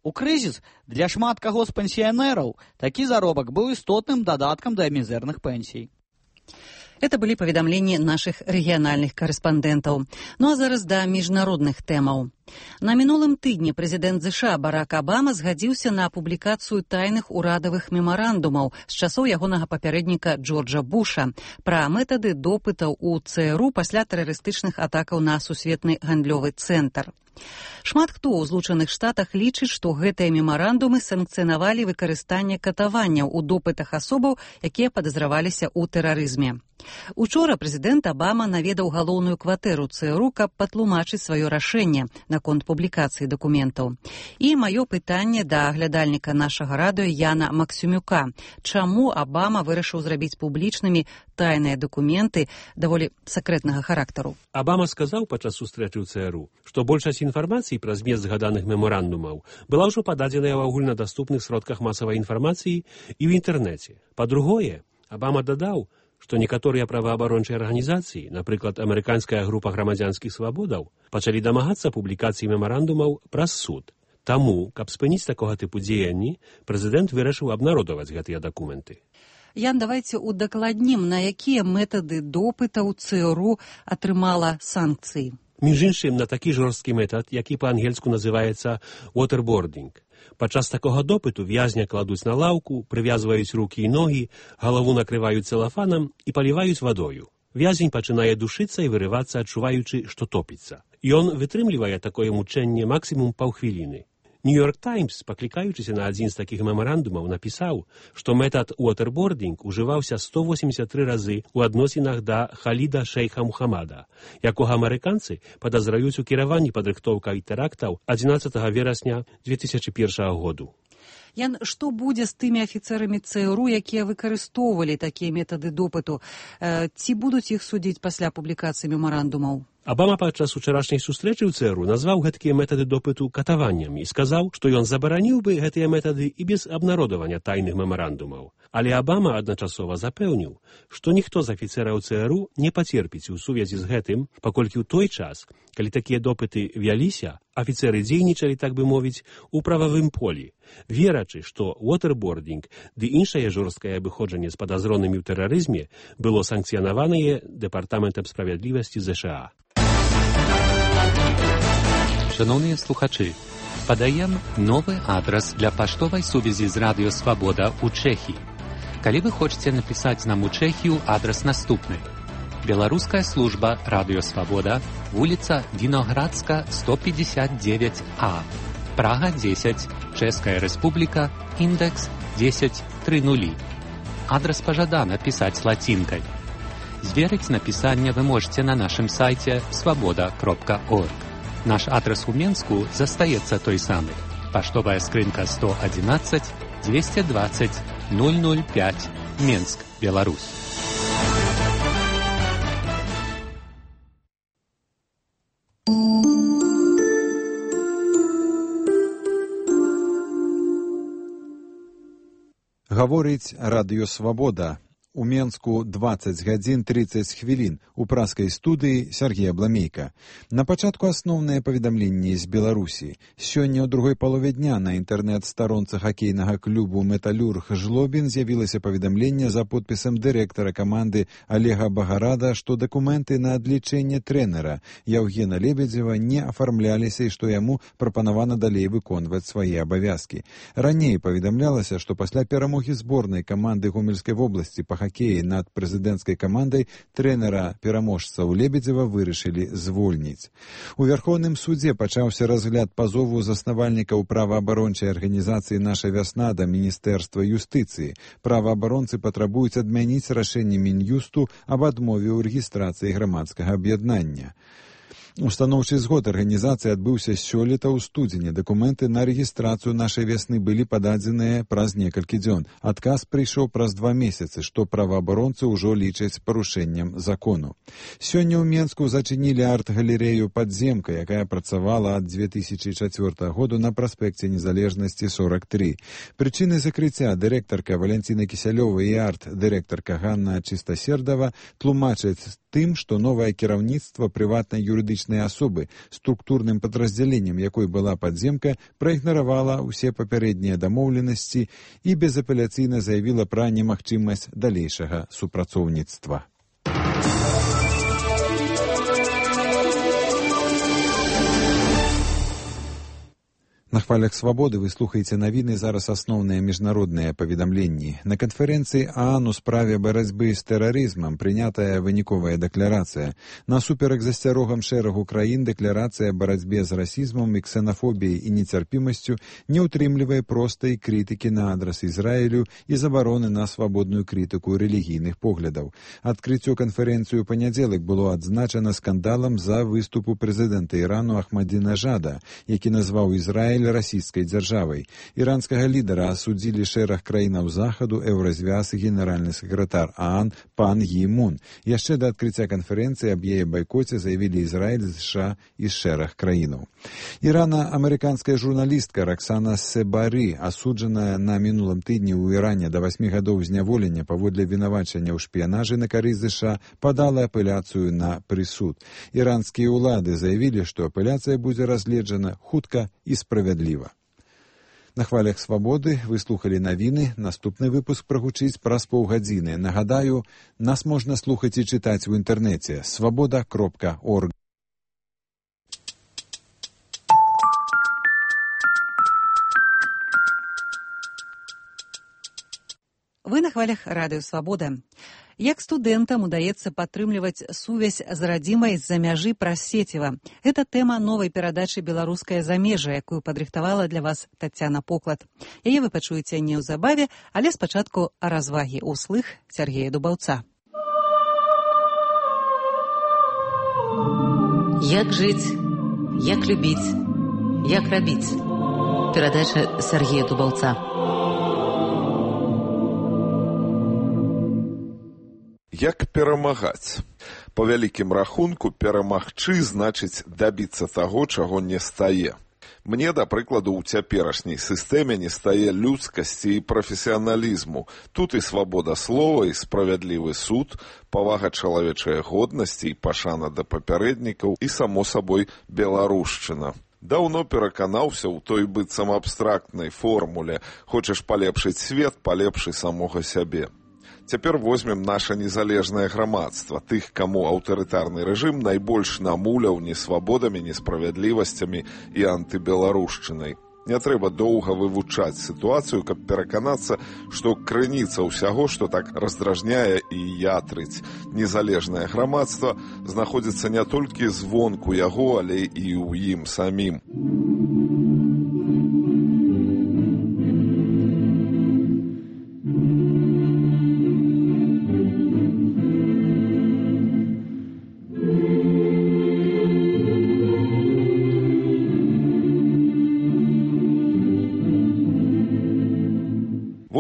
[SPEAKER 3] У крызіс для шмат каго з пенсіянераў такі заробак быў істотным дадаткам да мізэрных пенсій.
[SPEAKER 1] Это были паведамленні наших рэгіянальных карэспандэнтаў. Ну а зараз да міжнародных тэмаў. На мінулым тыдні прэзідэнт ЗША Барак Абама згадзіўся на публікацыю тайных урадавых мемарандумаў з часоў ягонага папярэдніка Джорджа Буша пра метады допытаў у ЦРУ пасля тэрарыстычных атакаў на сусветны гандлёвы цэнтр. Шмат хто ў Злучаных Штатах лічыць, што гэтыя мемарандумы санкцыянавалі выкарыстанне катаванняў у допытах асобаў, якія падазраваліся ў тэрарызме. Учора прэзідэнт Абама наведаў галоўную кватэру ЦРУ, каб патлумачыць сваё рашэнне наконт публікацыі дакументаў. І маё пытанне да аглядальніка нашага радыё Яна Максюмюка. Чаму Абама вырашыў зрабіць публічнымі тайныя дакументы даволі сакрэтнага характару?
[SPEAKER 25] Абама сказаў падчас сустрэчы ў ЦРУ, што большасць інфармацыі пра змест згаданых мемарандумаў была ўжо пададзеная ў агульнадаступных сродках масавай інфармацыі і ў інтэрнэце. Па-другое, Абама дадаў, што некаторыя праваабарончыя арганізацыі, напрыклад, амерыканская група грамадзянскіх свабодаў, пачалі дамагацца публікацыі мемарандумаў праз суд. Таму, каб спыніць такога тыпу дзеянні, прэзідэнт вырашыў абнародаваць гэтыя дакументы.
[SPEAKER 1] Ян, давайте удакладнім, на якія метады допытаў ЦРУ атрымала санкцыі.
[SPEAKER 25] Між іншым, на такі жорсткі метад, які па-ангельску называецца waterboarding. Падчас такога допыту в'язня кладуць на лаўку, прывязваюць рукі і ногі, галаву накрываюць целафанам і паліваюць вадою. В'язень пачынае душыцца і вырывацца, адчуваючы, што топіцца. Ён вытрымлівае такое мучэнне максімум паўхвіліны. Нью-Йорк Таймс, паклікаючыся на адзін з такіх мемарандумаў, напісаў, што метад waterboarding ужываўся 183 разы ў адносінах да Халіда шейха Мухаммада, якога амерыканцы падазраюць у кіраванні падрыхтоўкай тэрактаў 11 верасня 2001 году.
[SPEAKER 1] Ян, што будзе з тымі афіцэрамі ЦРУ, якія выкарыстоўвалі такія метады допыту? Ці будуць іх судзіць пасля публікацыі мемарандумаў?
[SPEAKER 25] Абама падчас учарашняй сустрэчы ў ЦРУ назваў гэткія метады допыту катаваннямі і сказаў, што ён забараніў бы гэтыя метады і без абнародавання тайных мемарандумаў. Але Абама адначасова запэўніў, што ніхто з афіцэраў ЦРУ не пацерпіць у сувязі з гэтым, паколькі ў той час, Калі такія допыты вяліся, афіцэры дзейнічалі, так бы мовіць, у прававым полі, верачы, што waterboarding ды іншае жорсткае абыходжанне з падазронымі ў тэрарызме было санкцыянаванае Дэпартаментам справядлівасці ЗША.
[SPEAKER 5] Шановныя слухачы, падаем новы адрас для паштовай сувязі з Радыё Свабода ў Чэхіі. Калі вы хочаце напісаць нам у Чэхію, адрас наступны. Беларуская служба Радыё Свабода, вуліца Віноградска, 159А, Прага 10, Чэшская Рэспубліка, індекс 1030. Адрас пажадана пісаць лацінкай. Зверыць напісанне вы можете на нашым сайце свабода.орг. Наш адрас у Менску застаецца той самы. Паштовая скрынка 111 220 005, Менск, Беларусь.
[SPEAKER 7] Гаворыць Радыё Свабода. У Менску 20 гадзін 30 хвілін. У праскай студыі Сергей Абламейка. На пачатку асноўныя паведамленні з Беларусі. Сёння ў другой палове дня на інтэрнэт-старонцы хакейнага клубу «Металюрг» Жлобін з'явілася паведамленне за подпісам дырэктара каманды Олега Багарада, што дакументы на адлічэнне трэнера Яўгена Лебедзева не афармляліся і што яму прапанавана далей выконваць свае абавязкі. Раней паведамлялася, што пасля перамогі зборнай каманды Гомельскай вобласці па хакеі над прэзідэнцкай камандай трэнера-пераможцаў Лебедзева вырашылі звольніць. У Вярхоўным судзе пачаўся разгляд пазову заснавальнікаў праваабарончай арганізацыі «Наша вясна» да Міністэрства юстыцыі. Праваабаронцы патрабуюць адмяніць рашэнне Мін'юсту аб адмове ў рэгістрацыі грамадскага аб'яднання. Устаноўчы згод арганізацыі адбыўся сёлета ў студзені. Дакументы на рэгістрацыю «Нашай вясны» былі пададзеныя праз некалькі дзён. Адказ прыйшоў праз 2 месяцы, што праваабаронцы ўжо лічаць парушэннем закону. Сёння ў Менску зачынілі арт-галерэю «Падземка», якая працавала ад 2004 году на праспекце Незалежнасці 43. Прычыны закрыцця дырэктарка Валянціна Кісялёва і арт-дырэктарка Ганна Чыстасердава тлумачаць тым, што новае кіраўніцтва прыватнай юрыдычнай асобы, структурным падраздзяленнем якой была «Падземка», праігнаравала ўсе папярэднія дамоўленасці і безапеляцыйна заявіла пра немагчымасць далейшага супрацоўніцтва. На хвалях свабоды вы слухаеце навіны, зараз асноўныя міжнародныя паведамленні. На канферэнцыі ААН у справе барацьбы з тэрарызмам прынятая выніковая дэкларацыя. Насуперак засцярогам шэрагу краін дэкларацыя барацьбе з расізмам і ксенафобіяй і нецярпімасцю не ўтрымлівае простай крытыкі на адрас Ізраілю і забароны на свабодную крытыку рэлігійных поглядаў. Адкрыццё канферэнцыю ў панядзелак было адзначана скандалам за выступу прэзідэнта Ірану Ахмадзінежада, які назваў Ізраіль расійскай дзяржавай. Іранскага лідара асудзілі шэраг краінаў захаду, еўразвяз і генеральны сакратар ААН пан Гі Мун. Яшчэ да адкрыцця канферэнцыі аб яе байкоце заявілі Ізраіль, США і шэраг краінаў. Ірана-амерыканская журналістка Роксана Себары, асуджаная на мінулым тыдні ў Іране да 8 гадоў зняволення паводле вінавачання ў шпіянажы на карысць США, падала апеляцыю на прысуд. Іранскія ўлады заявілі, што апеляцыя будзе разгледжана хутка і справядліва. На хвалях свабоды вы слухалі навіны. Наступны выпуск прагучыць праз паўгадзіны. Нагадаю, нас можна слухаць і чытаць у інтэрнэце свабода.орг.
[SPEAKER 1] Вы на хвалях Радыё Свабода. Як студэнтам удаецца падтрымліваць сувязь з радзімай з-за мяжы праз сеціва. Гэта тэма новай перадачы «Беларускае замежжа», якую падрыхтавала для вас Тацяна Поклад. Яе вы пачуеце неўзабаве, але спачатку развагі ўслых Сергея Дубаўца.
[SPEAKER 8] Як жыць, як любіць, як рабіць. Перадача Сергея Дубаўца.
[SPEAKER 9] Як перамагаць? Па вялікім рахунку, перамагчы значыць дабіцца таго, чаго не стае. Мне, да прыкладу, у цяперашняй сістэме не стае людскасці і прафесіяналізму. Тут і свабода слова, і справядлівы суд, павага чалавечай годнасці і пашана да папярэднікаў, і, само сабой, беларушчына. Даўно пераканаўся ў той быццам абстрактнай формуле «Хочаш палепшыць свет, палепшый самога сябе». Цяпер возьмем наша незалежнае грамадства, тых, каму аўтарытарны рэжым найбольш намуляў несвабодамі, несправядлівасцямі і антыбеларушчынай. Не трэба доўга вывучаць сітуацыю, каб пераканацца, што крыніца ўсяго, што так раздражняе і ятрыць незалежнае грамадства, знаходзіцца не толькі звонку яго, але і ў ім самім.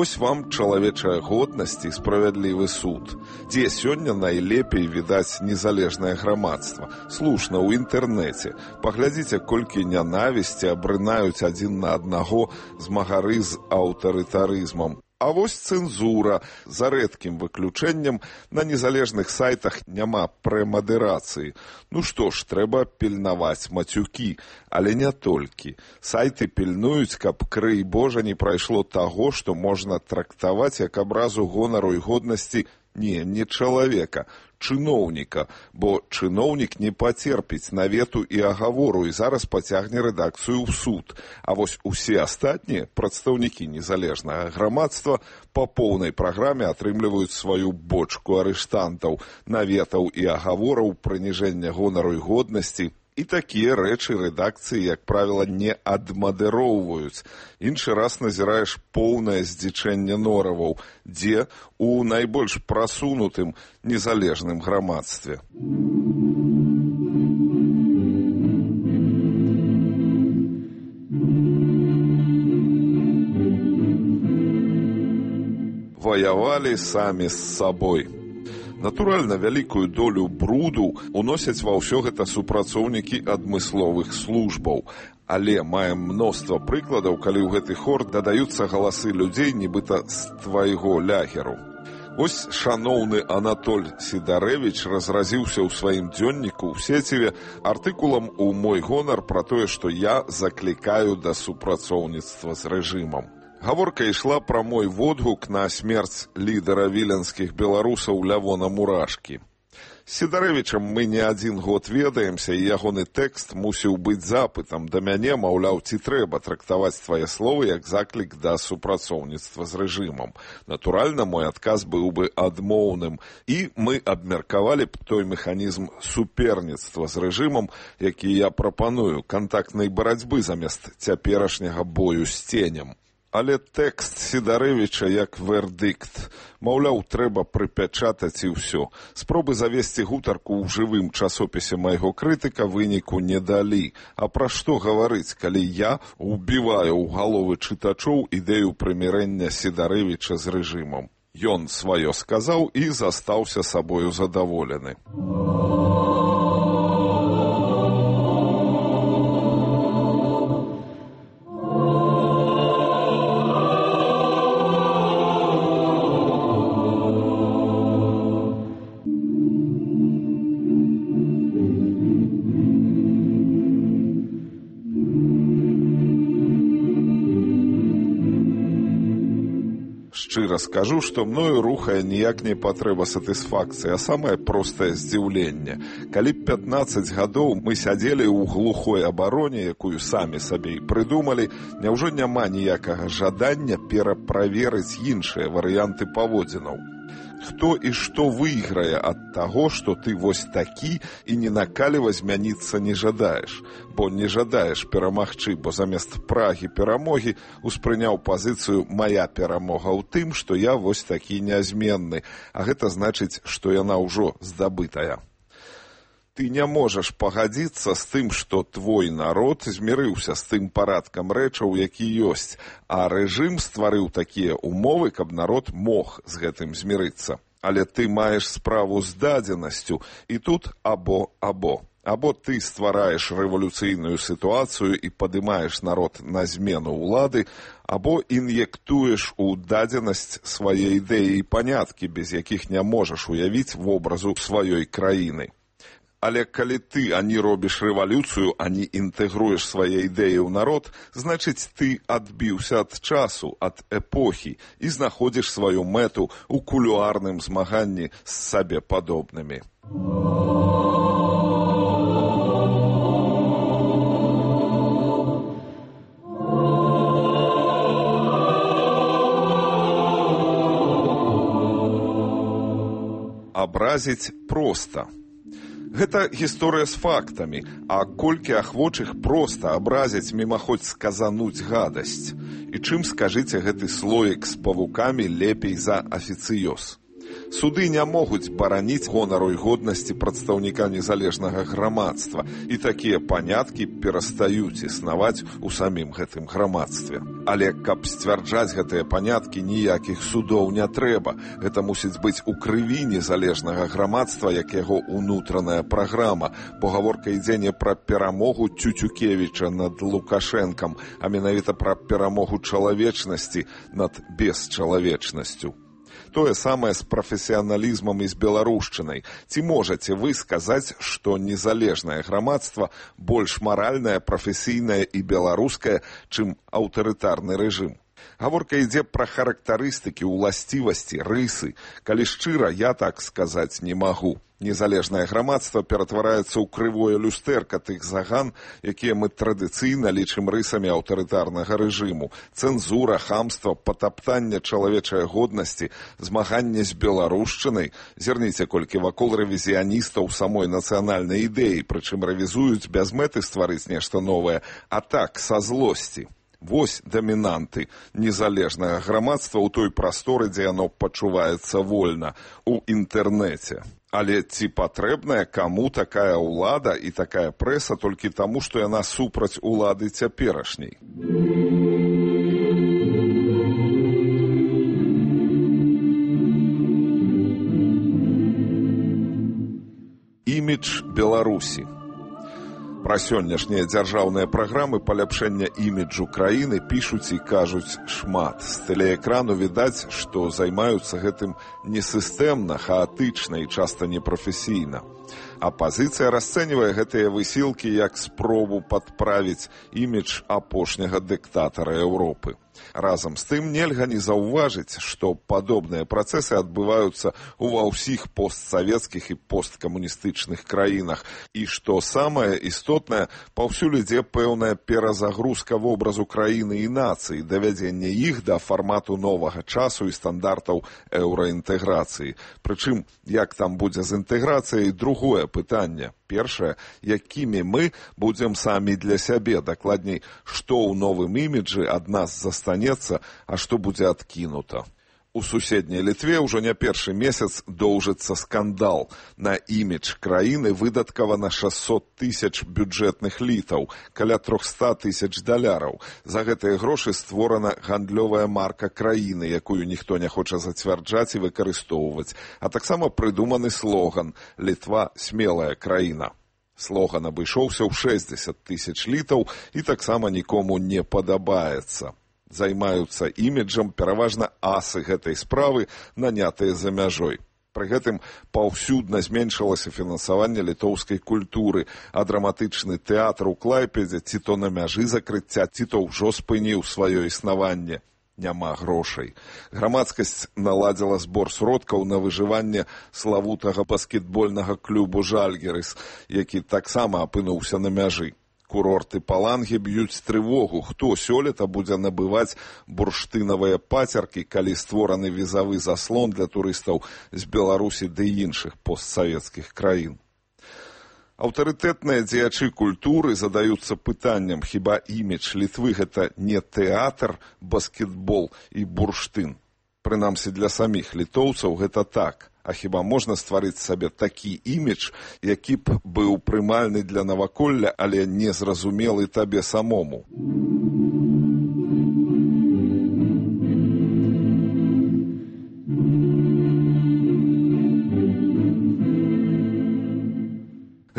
[SPEAKER 9] Вось вам чалавечая годнасць і справядлівы суд. Дзе сёння найлепей відаць незалежнае грамадства? Слушна, ў інтэрнэце. Паглядзіце, колькі нянавісці абрынаюць адзін на аднаго змагары з аўтарытарызмам. А вось цэнзура. За рэдкім выключэннем на незалежных сайтах няма прэмадэрацыі. Ну што ж, трэба пільнаваць мацюкі, але не толькі. Сайты пільнуюць, каб, крый Божа, не прайшло таго, што можна трактаваць як абразу гонару і годнасці не чалавека, чыноўніка, бо чыноўнік не пацерпіць навету і агавору і зараз пацягне рэдакцыю ў суд. А вось усе астатнія прадстаўнікі незалежнага грамадства па поўнай праграме атрымліваюць сваю бочку арыштантаў, наветаў і агавораў, прыніжэння гонару і годнасці. І такія рэчы рэдакцыі, як правіла, не адмадыроўваюць. Іншы раз назіраеш поўнае здзічэнне нораваў, дзе у найбольш прасунутым незалежным грамадстве. Ваявалі самі з сабой. Натуральна, вялікую долю бруду уносяць ва ўсё гэта супрацоўнікі адмысловых службаў. Але маем мноства прыкладаў, калі ў гэты хор дадаюцца галасы людзей, нібыта з твайго лягеру. Вось шаноўны Анатоль Сідарэвіч разразіўся ў сваім дзённіку ў сеціве артыкулам у мой гонар пра тое, што я заклікаю да супрацоўніцтва з рэжымам. Гаворка ішла пра мой водгук на смерць лідара віленскіх беларусаў Лявона Мурашкі. З Сідарэвічам мы не адзін год ведаемся, і ягоны тэкст мусіў быць запытам да мяне, маўляў, ці трэба трактаваць твае словы як заклік да супрацоўніцтва з рэжымам. Натуральна, мой адказ быў бы адмоўным, і мы абмеркавалі б той механізм суперніцтва з рэжымам, які я прапаную, кантактнай барацьбы замест цяперашняга бою з ценем. Але тэкст Сідарэвіча як вердыкт. Маўляў, трэба прыпячатаць і ўсё. Спробы завесці гутарку ў жывым часопісе майго крытыка выніку не далі. А пра што гаварыць, калі я убіваю ў галовы чытачоў ідэю прымірэння Сідарэвіча з рэжымам? Ён сваё сказаў і застаўся сабою задаволены. Шчыра скажу, што мною рухае ніяк не патрэба сатысфакцыі, а самае простае здзіўленне. Калі б 15 гадоў мы сядзелі ў глухой абароне, якую самі сабе і прыдумалі, няўжо няма ніякага жадання пераправерыць іншыя варыянты паводзінаў? Хто і што выйграе ад таго, што ты вось такі і ні на каліва змяніцца не жадаеш? Бо не жадаеш перамагчы, бо замест прагі перамогі успрыняў пазіцыю «мая перамога ў тым, што я вось такі нязменны», а гэта значыць, што яна ўжо здабытая. Ты не можаш пагадзіцца з тым, што твой народ змірыўся з тым парадкам рэчаў, які ёсць, а рэжым стварыў такія умовы, каб народ мог з гэтым змірыцца. Але ты маеш справу з дадзенасцю, і тут або-або. Або ты ствараеш рэвалюцыйную сітуацыю і падымаеш народ на змену ўлады, або ін'ектуеш у дадзенасць свае ідэі і паняткі, без якіх не можаш уявіць вобразу сваёй краіны. Але калі ты ані робіш рэвалюцыю, ані інтэгруеш свае ідэі ў народ, значыць, ты адбіўся ад часу, ад эпохі і знаходзіш сваю мэту ў кулуарным змаганні з сабе падобнымі. Абразіць проста. Гэта гісторыя з фактамі, а колькі ахвочых проста абразіць мімаходзь сказануць гадасць. І чым, скажыце, гэты слоік з павукамі лепей за афіцыёз? Суды не могуць бараніць гонару і годнасці прадстаўніка незалежнага грамадства, і такія паняткі перастаюць існаваць у самім гэтым грамадстве. Але каб сцвярджаць гэтыя паняткі, ніякіх судоў не трэба. Гэта мусіць быць у крыві незалежнага грамадства, як яго ўнутраная праграма, бо гаворка ідзе не пра перамогу Тютюкевіча над Лукашэнкам, а менавіта пра перамогу чалавечнасці над бесчалавечнасцю. Тое самае з прафесіяналізмам і з беларушчынай. Ці можаце вы сказаць, што незалежнае грамадства больш маральнае, прафесійнае і беларускае, чым аўтарытарны рэжым? Гаворка ідзе пра характарыстыкі, уласцівасці, рысы. Калі шчыра, я так сказаць не магу. Незалежнае грамадства ператвараецца ў крывое люстэрка тых заган, якія мы традыцыйна лічым рысамі аўтарытарнага рэжыму. Цэнзура, хамства, патаптанне чалавечай годнасці, змаганне з беларушчынай. Зірніце, колькі вакол рэвізіяністаў самой нацыянальнай ідэі, прычым рэвізуюць без мэты стварыць нешта новае, а так, са злосці. Вось дамінанты незалежнага грамадства ў той прасторы, дзе яно пачуваецца вольна, у інтэрнэце. Але ці патрэбная каму такая ўлада і такая прэса толькі таму, што яна супраць улады цяперашняй? Імідж Беларусі. Пра сённяшнія дзяржаўныя праграмы паляпшэння іміджу краіны пішуць і кажуць шмат. З тэлеэкрану відаць, што займаюцца гэтым несістэмна, хаатычна і часта непрафесійна. Апазіцыя расцэньвае гэтыя высілкі як спробу падправіць імідж апошняга дыктатара Еўропы. Разам з тым нельга не заўважыць, што падобныя працэсы адбываюцца ва ўсіх постсавецкіх і посткамуністычных краінах, і што самае істотнае, паўсюль ідзе пэўная перазагрузка вобразу краіны і нацыі, давядзенне іх да фармату новага часу і стандартаў еўраінтэграцыі. Прычым, як там будзе з інтэграцыяй, другое пытанне. Першае, якімі мы будзем самі для сябе, дакладней, што ў новым іміджы ад нас застанецца, а што будзе адкінута. У суседняй Літве ўжо не першы месяц доўжыцца скандал. На імідж краіны выдаткавана 600 000 бюджэтных літаў, каля 300 000 даляраў. За гэтыя грошы створана гандлёвая марка краіны, якую ніхто не хоча зацвярджаць і выкарыстоўваць. А таксама прыдуманы слоган «Літва – смелая краіна». Слоган абышоўся ў 60 000 літаў і таксама нікому не падабаецца. Займаюцца іміджам пераважна асы гэтай справы, нанятыя за мяжой. Пры гэтым паўсюдна зменшылася фінансаванне літоўскай культуры, а драматычны тэатр у Клайпедзе ці то на мяжы закрыцця, ці то ўжо спыніў сваё існаванне. Няма грошай. Грамадскасць наладзіла збор сродкаў на выжыванне славутага баскетбольнага клубу «Жальгерыс», які таксама апынуўся на мяжы. Курорты Палангі б'юць трывогу, хто сёлета будзе набываць бурштынавыя пацеркі, калі створаны візавы заслон для турыстаў з Беларусі ды іншых постсавецкіх краін. Аўтарытэтныя дзеячы культуры задаюцца пытаннем, хіба імідж Літвы гэта не тэатр, баскетбол і бурштын. Прынамсі для саміх літоўцаў гэта так. А хіба можна стварыць сабе такі імідж, які б быў прымальны для наваколля, але незразумелы табе самому?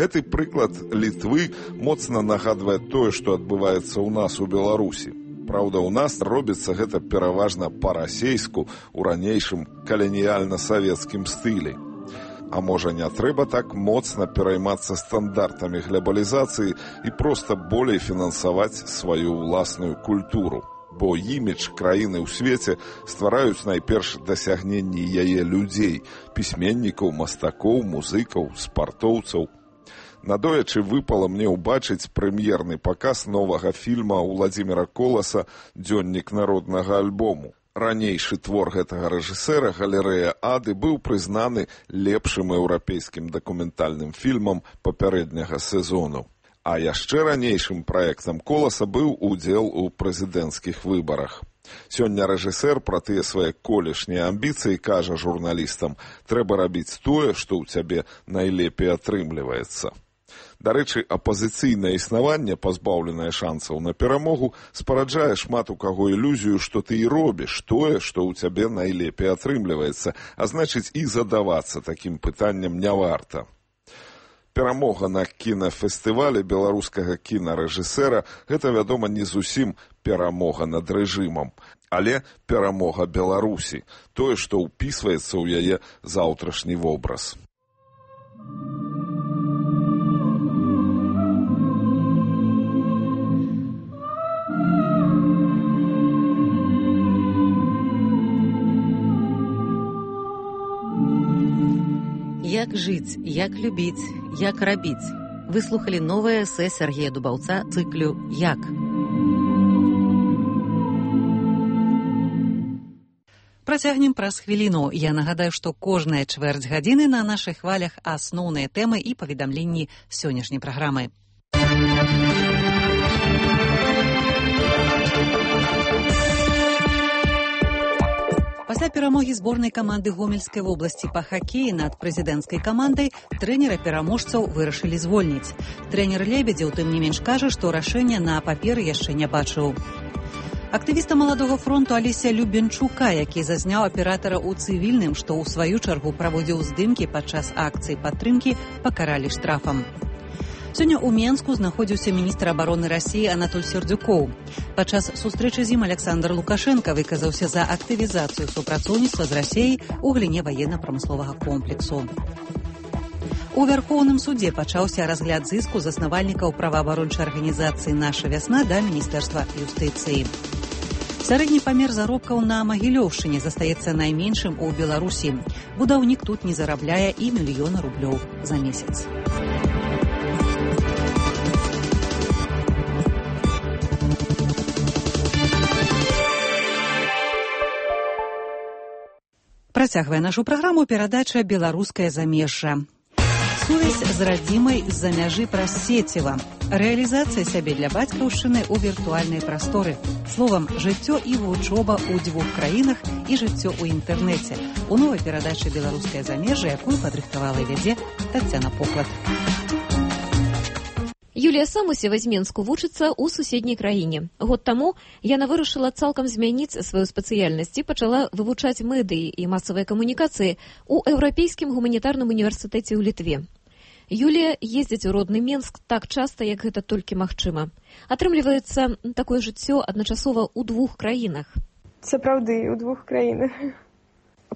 [SPEAKER 9] Гэты прыклад Літвы моцна нагадвае тое, што адбываецца ў нас у Беларусі. Праўда, у нас робіцца гэта пераважна па-расейску ў ранейшым каланіяльна-савецкім стылі. А можа, не трэба так моцна пераймацца стандартамі глобалізацыі і проста болей фінансаваць сваю ўласную культуру. Бо імідж краіны ў свеце ствараюць найперш дасягненні яе людзей, пісьменнікаў, мастакоў, музыкаў, спартоўцаў. Надоечы выпала мне ўбачыць прэм'ерны паказ новага фільма Уладзіміра Коласа «Дзённік народнага альбому». Ранейшы твор гэтага рэжысэра «Галерэя Ады» быў прызнаны лепшым еўрапейскім дакументальным фільмам папярэдняга сезону. А яшчэ ранейшым праектам Коласа быў удзел у прэзідэнцкіх выбарах. Сёння рэжысэр пра тыя свае колішнія амбіцыі кажа журналістам: «Трэба рабіць тое, што ў цябе найлепей атрымліваецца». Дарэчы, апазіцыйнае існаванне, пазбаўленае шансаў на перамогу, спараджае шмат у каго ілюзію, што ты і робіш тое, што ў цябе найлепей атрымліваецца, а значыць і задавацца такім пытанням не варта. Перамога на кінафестывалі беларускага кінарэжысэра – гэта, вядома, не зусім перамога над рэжымам, але перамога Беларусі, тое, што ўпісваецца ў яе заўтрашні вобраз.
[SPEAKER 8] Як жыць, як любіць, як рабіць. Вы слухалі новае эсэ Сергея Дубаўца цыклю «Як».
[SPEAKER 1] Працягнем праз хвіліну. Я нагадаю, што кожная чвэрць гадзіны на нашых хвалях асноўныя тэмы і паведамленні сённяшняй праграмы. Пасля перамогі зборнай каманды Гомельскай вобласці па хакеі над прэзідэнцкай камандай трэнера-пераможцаў вырашылі звольніць. Трэнер Лебедзеў, тым не менш, кажа, што рашэння на паперы яшчэ не бачыў. Актывіста маладога фронту Алеся Любенчука, які зазняў аператара ў цывільным, што ў сваю чаргу праводзіў здымкі падчас акцыі падтрымкі, пакаралі штрафам. Сёння ў Менску знаходзіўся міністр абароны Расіі Анатоль Сердюкоў. Падчас сустрэчы з ім Александр Лукашенко выказаўся за актывізацыю супрацоўніцтва з Расіяй у галіне ваенна-прамысловага комплексу. У Вярхоўным судзе пачаўся разгляд зыску заснавальнікаў праваабарончай арганізацыі «Наша вясна» да Міністэрства юстыцыі. Сярэдні памер заробкаў на Магілёўшчыне застаецца найменшым у Беларусі. Будаўнік тут не зарабляе і 1 мільёна рублёў за месяц. Працягвае нашу праграму перадача «Беларускае замежжа». Сувязь з радзімай з-за мяжы праз сеціва. Рэалізацыя сябе для бацькаўшчыны ў віртуальнай прасторы. Словам, жыццё і вучоба ў 2 краінах і жыццё ў інтэрнэце. У новай перадачы «Беларускае замежжа», якую падрыхтавала і вядзе Таццяна Поклад.
[SPEAKER 17] Юлія Самусева з Менску вучыцца ў суседняй краіне. Год таму яна вырашыла цалкам змяніць сваю спецыяльнасць і пачала вывучаць медыі і масавыя камунікацыі ў Еўрапейскім гуманітарным універсітэце ў Літве. Юлія ездзіць у родны Менск так часта, як гэта толькі магчыма. Атрымліваецца такое жыццё адначасова ў 2 краінах.
[SPEAKER 10] Сапраўды, у 2 краінах.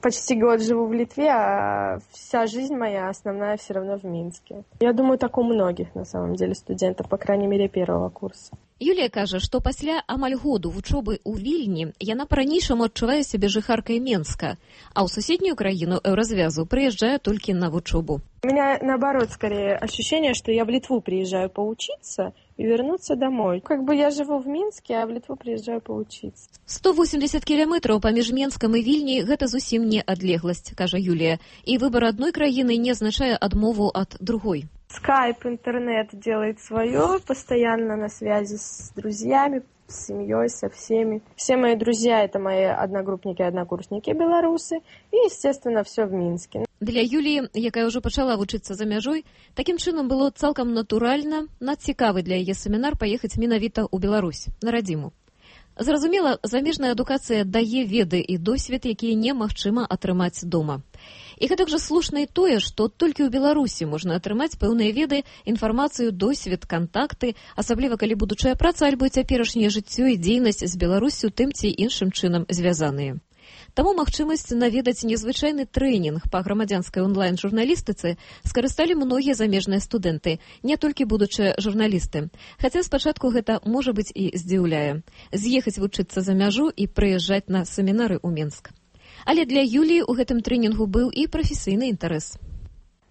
[SPEAKER 10] Почти год живу в Литве, а вся жизнь моя основная все равно в Минске. Я думаю, так у многих, на самом деле, студентов, по крайней мере, 1-го курса.
[SPEAKER 17] Юлія кажа, што пасля амаль году вучобы ў Вільні яна па-ранейшаму адчувае сябе жыхаркай Менска, а ў суседнюю краіну Еўразвязу прыязджае толькі на вучобу.
[SPEAKER 10] У меня, наоборот, скорее ощущение, что я в Литву приезжаю поучиться и вернуться домой. Как бы я живу в Минске, а в Литву приезжаю поучиться.
[SPEAKER 17] 180 километров паміж Менскам і Вільні – гэта зусім не адлегласць, кажа Юлія. І выбор одной краіны не означае адмову ад другой.
[SPEAKER 10] Скайп, интернет делает свое, постоянно на связи с друзьями, с семьей, со всеми. Все мои друзья – это мои одногруппники, однокурсники белорусы. И, естественно, все в Минске.
[SPEAKER 17] Для Юлії, якая ўжо пачала вучыцца за мяжой, такім чынам было цалкам натуральна, надцікавы для яе семінар паехаць менавіта ў Беларусь, на радзіму. Зразумела, замежная адукацыя дае веды і досвед, якія немагчыма атрымаць дома. І гэтак жа слушна і тое, што толькі ў Беларусі можна атрымаць пэўныя веды, інфармацыю, досвед, кантакты, асабліва калі будучая праца альбо цяперашняе жыццё і дзейнасць з Беларуссю тым ці іншым чынам звязаныя. Таму магчымасць наведаць незвычайны трэнінг па грамадзянскай онлайн-журналістыцы скарысталі многія замежныя студэнты, не толькі будучыя журналісты. Хаця спачатку гэта, можа быць, і здзіўляе. З'ехаць вучыцца за мяжу і прыязджаць на семінары ў Мінск. Але для Юлии у гэтым тренингу был и профессийный интерес.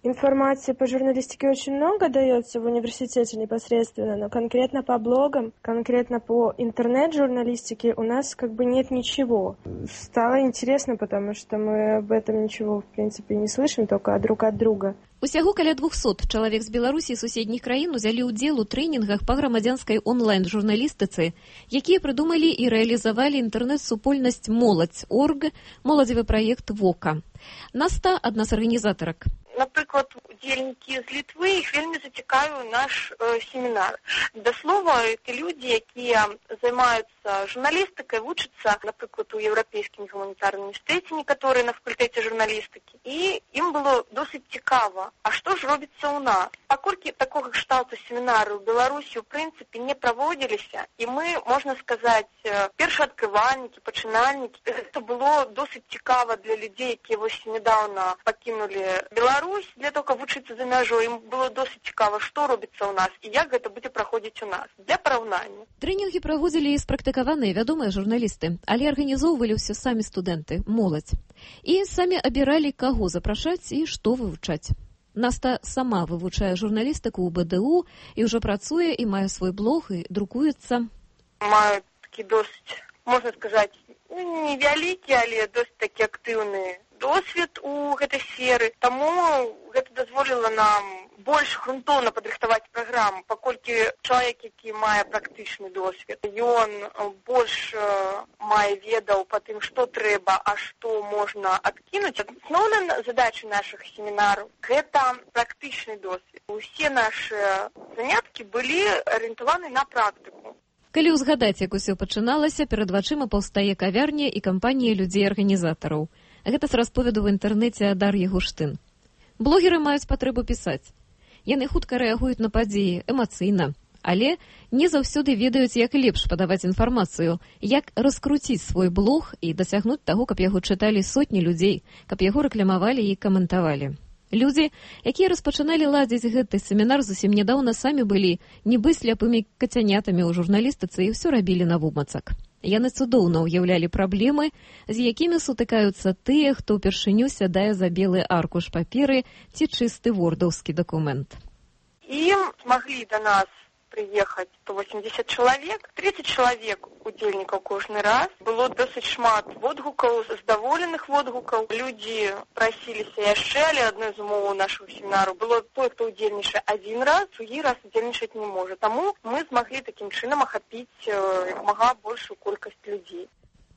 [SPEAKER 10] Информации по журналистике очень много дается в университете непосредственно, но конкретно по блогам, конкретно по интернет-журналистике у нас как бы нет ничего. Стало интересно, потому что мы об этом ничего, в принципе, не слышим, только друг от друга.
[SPEAKER 17] Усяго каля 200 чалавек з Беларусі і суседніх краін узялі ўдзел у трэнінгах па грамадзянскай онлайн-журналістыцы, якія прыдумалі і рэалізавалі інтэрнэт-супольнасць «Моладзь.орг», моладзевы праект «Вока». Наста – адна з арганізатарак.
[SPEAKER 11] Наприклад, удзельнікі з Літвы, іх вельмі зацікавіў наш семінар. Да слова, це люди, які займаються журналістикою, вчаться, наприклад, у Європейському гуманітарному університеті, некоторі на факультеті журналістики. І їм було досить цікаво, а що ж робиться у нас? Покольки такого кшталту семінару в Білорусі, в принципі, не проводилися, і ми, можна сказати, першооткривальники, починальники, це було досить цікаво для людей, які ось недавно покинули Білорусь, для того, каб вучыцца за мяжой, ім было досыць цікава, што робіцца ў нас і як гэта будзе праходзіць у нас. Для параўнання.
[SPEAKER 17] Трэнінгі праводзілі і спрактыкаваныя вядомыя журналісты, але арганізоўвалі ўсе самі студэнты, моладзь. І самі абіралі, каго запрашаць і што вывучаць. Наста сама вывучае журналістыку ў БДУ і ўжо працуе і мае свой блог і друкуецца.
[SPEAKER 11] Маю такі досыць, можна сказаць, невялікі, але досыць такі актыўны досвед у гэтай сферы, таму гэта дазволіла нам больш грунтоўна падрыхтаваць праграму, паколькі чалавек, які мае практычны досвед, ён больш мае ведаў па тым, што трэба, а што можна адкінуць. Асноўная задача нашых семінараў – гэта практычны досвед. Усе нашы заняткі былі арыентаваны на практыку.
[SPEAKER 17] Калі ўзгадаць, як усё пачыналася, перад вачыма паўстае кавярня і кампанія людзей-арганізатараў. Гэта з расповеду в інтэрнэце Дар'і Гуштын. Блогеры маюць патрэбу пісаць. Яны хутка рэагуюць на падзеі, эмацыйна, але не заўсёды ведаюць, як лепш падаваць інфармацыю, як раскруціць свой блог і дасягнуць таго, каб яго чыталі сотні людзей, каб яго рэкламавалі і каментавалі. Людзі, якія распачыналі ладзіць гэты семінар, зусім нядаўна самі былі нібы сляпымі кацянятамі ў журналістыцы і ўсё рабілі навумацак. Яны цудоўна ўяўлялі праблемы, з якімі сутыкаюцца тыя, хто ўпершыню сядае за белы аркуш паперы ці чысты вордаўскі дакумент.
[SPEAKER 11] І змаглі да нас прыехаць 180 чалавек, 30 чалавек удзельнікаў кожны раз. Было досыць шмат водгукаў, здаволеных водгукаў. Людзі прасіліся яшчэ, але адной з умоваў нашого семінару было той, хто удзельнічае адзін раз, другі раз удзельнічаць не можа. Таму мы змаглі такім чынам ахапіць як мага большую колькасць людзей.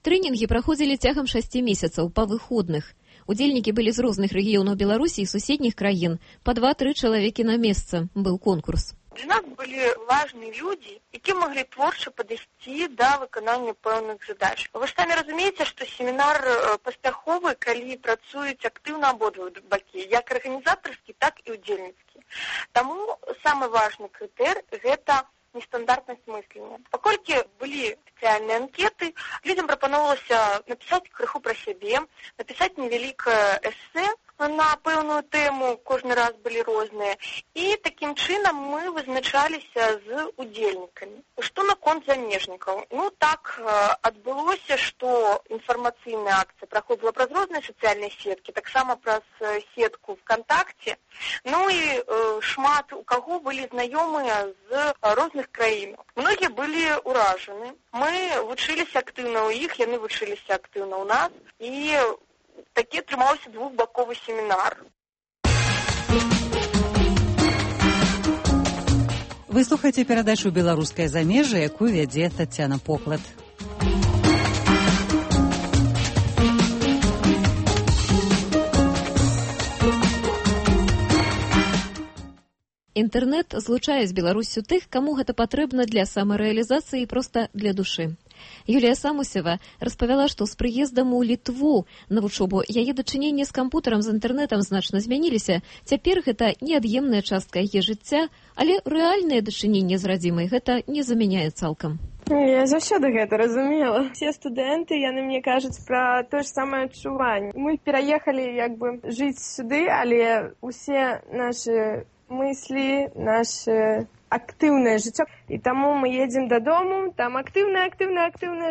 [SPEAKER 17] Трэнінгі праходзілі цягам 6 месяцаў па выходных. Удзельнікі былі з розных рэгіёнаў Беларусі і суседніх краін. Па 2-3 чалавекі на месца быў конкурс.
[SPEAKER 11] Для нас были важные люди, які могли творчо подойти до виконання певних задач. Ви ж самі розумієте, що семінар паспяховий, коли працюють активно обидва боки, як організаторські, так і удзельніцькі. Тому самый важный критерий – это нестандартность мышления. Поскольку были специальные анкеты, людям пропоновалось написать крыху про себе, написать невеликое эссе на певну тему, кожен раз были різні. І таким чином ми визначалися з удзельниками. Что наконт замежников? Ну, так отбылося, что информационная акция проходила праз разные социальные сетки, так само праз сетку ВКонтакте. Ну и шмат у кого были знакомые з разных краин. Многие были уражены. Мы вучились активно у них, яны вучились активно у нас. И такі атрымаўся двухбаковы семінар.
[SPEAKER 1] Вы слухаеце перадачу «Беларускае замежжа», якую вядзе Тацяна Поклад.
[SPEAKER 17] Інтэрнэт злучае з Беларуссю тых, каму гэта патрэбна для самарэалізацыі і проста для душы. Юлія Самусева распавяла, што з прыездам у Літву на вучобу яе дачыненне з кампутарам, з інтэрнэтам значна змяніліся. Цяпер гэта неад'емная частка яе жыцця, але рэальнае дачыненне з радзімай гэта не замяняе цалкам.
[SPEAKER 10] Я заўсёды гэта разумела. Все студэнты, яны мне кажуць пра тое ж самае адчуванне. Мы пераехалі жыць сюды, але усе нашы мыслі, наше актыўнае жыццё. І таму мы едзем дадому, там актыўнае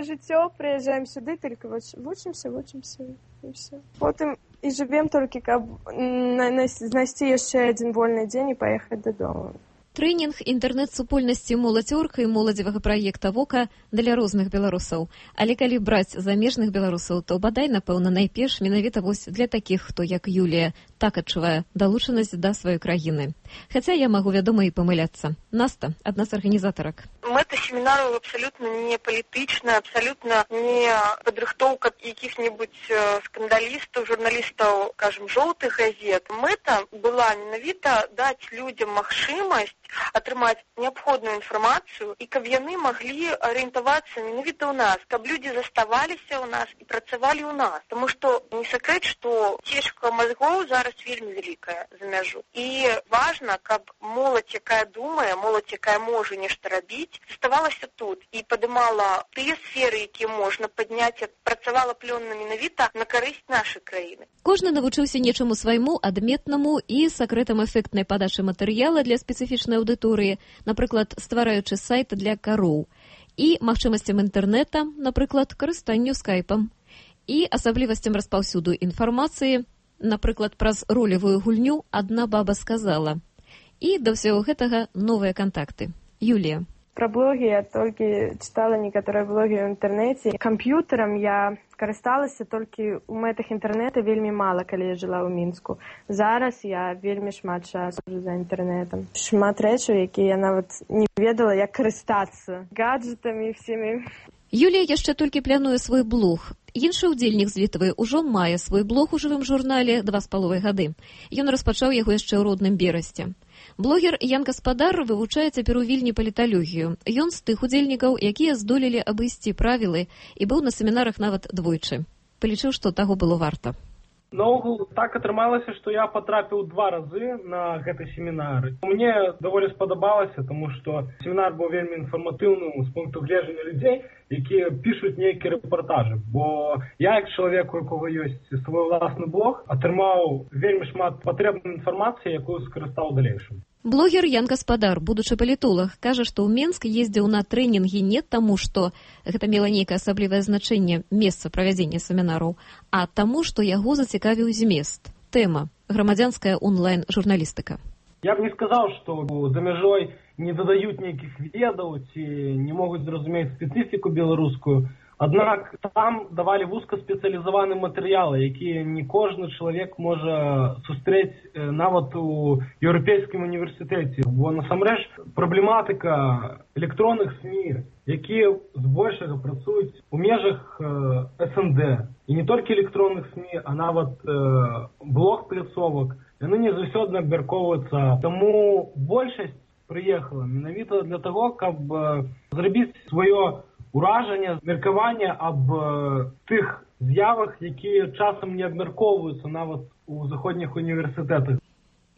[SPEAKER 10] жыццё, прыязджаем сюды, толькі вучымся, і все. Потым і жывем толькі, каб знайсці яшчэ адзін вольны дзень і паехаць дадому.
[SPEAKER 17] Трэнінг інтэрнэт-супольнасці «Моладзёрка» і моладзевага праекта «Вока» для розных беларусаў. Але калі браць замежных беларусаў, то бадай, напэўна, найперш менавіта вось для такіх, хто, як Юлія, так адчувае далучанасць да сваёй краіны. Хаця я магу, вядома, і памыляцца. Наста, адна з арганізатарак.
[SPEAKER 11] Мэта семінару абсалютна не палітычная, абсалютна не падрыхтоўка якіх-небудзь скандалістаў, журналістаў, кажам, жоўтых газет. Мэта была менавіта даць людзям магчымасць атрымаць неабходную інфармацыю і каб яны маглі арыентавацца менавіта ў нас, каб людзі заставаліся ў нас і працавалі ў нас. Таму што не сакрэт, што цечка мазгоў зараз вельмі вялікая за мяжу. І важна, каб моладзь, якая думае, моладзь, якая можа нешта рабіць, заставалася тут і падымала тыя сферы, якія можна падняць, працавала плённа менавіта на карысць нашай краіны.
[SPEAKER 17] Кожны навучыўся нечаму свайму, адметнаму і сакрэтам эфектнай падачы матэрыяла для спецыфічнай аўдыторыі, напрыклад, ствараючы сайт для кароў, і магчымасцям інтэрнэта, напрыклад, карыстанню скайпам, і асаблівасцям распаўсюду інфармацыі, напрыклад, праз ролевую гульню «Адна баба сказала». І да ўсяго гэтага новыя кантакты. Юлія.
[SPEAKER 10] Пра блогі я толькі чытала некаторыя блогі ў інтэрнэце. Камп'ютарам я карысталася толькі ў мэтах інтэрнэта вельмі мала, калі я жыла ў Мінску. Зараз я вельмі шмат часу за інтэрнэтам. Шмат рэчаў, якія я нават не ведала, як карыстацца гаджетамі всімі.
[SPEAKER 17] Юлія яшчэ толькі плануе свой блог. Іншы ўдзельнік з Літвы ўжо мае свой блог у жывым журнале 2,5 гады. Ён распачаў яго яшчэ ў родным Берасці. Блогер Ян Гаспадар вывучае цяпер у Вільні паліталогію. Ён з тых удзельнікаў, якія здолелі абысці правілы і быў на семінарах нават двойчы. Палічыў, што таго было варта.
[SPEAKER 12] Наогул так атрымалася, што я патрапіў 2 разы на гэты семінар. Мне даволі спадабалася, тому што семінар быў вельмі інфарматыўным з пункту гледжання людзей, якія пішуць нейкія рэпартажы. Бо я, як чалавек, у якога ёсць свой уласны блог, атрымаў вельмі шмат патрэбнай інфармацыі, якую скарыстаў у далейшым.
[SPEAKER 17] Блогер Ян Гаспадар, будучы палітолог, кажа, што ў Менск ездзіў на трэнінгі не таму, што гэта мела нейкае асаблівае значэнне месца правядзення семінараў, а таму, што яго зацікавіў змест. Тэма – грамадзянская онлайн-журналістыка.
[SPEAKER 12] Я б не сказаў, што за мяжой не дадаюць нейкіх ведаў ці не могуць зразумець спецыфіку беларускую. Аднак там давалі вузкаспецыялізаваныя матэрыялы, якія не кожны чалавек можа сустрэць нават у еўрапейскім універсітэце. Бо насамрэч праблематыка электронных СМІ, якія збольшага працуюць у межах СНД. І не толькі электронных СМІ, а нават блог-пляцовак, яны не заўсёды абмяркоўваюцца. Таму большасць прыехала менавіта для таго, каб зрабіць сваё уражанне, меркаванне аб тых з'явах, якія часам не абмяркоўваюцца нават у заходніх універсітэтах.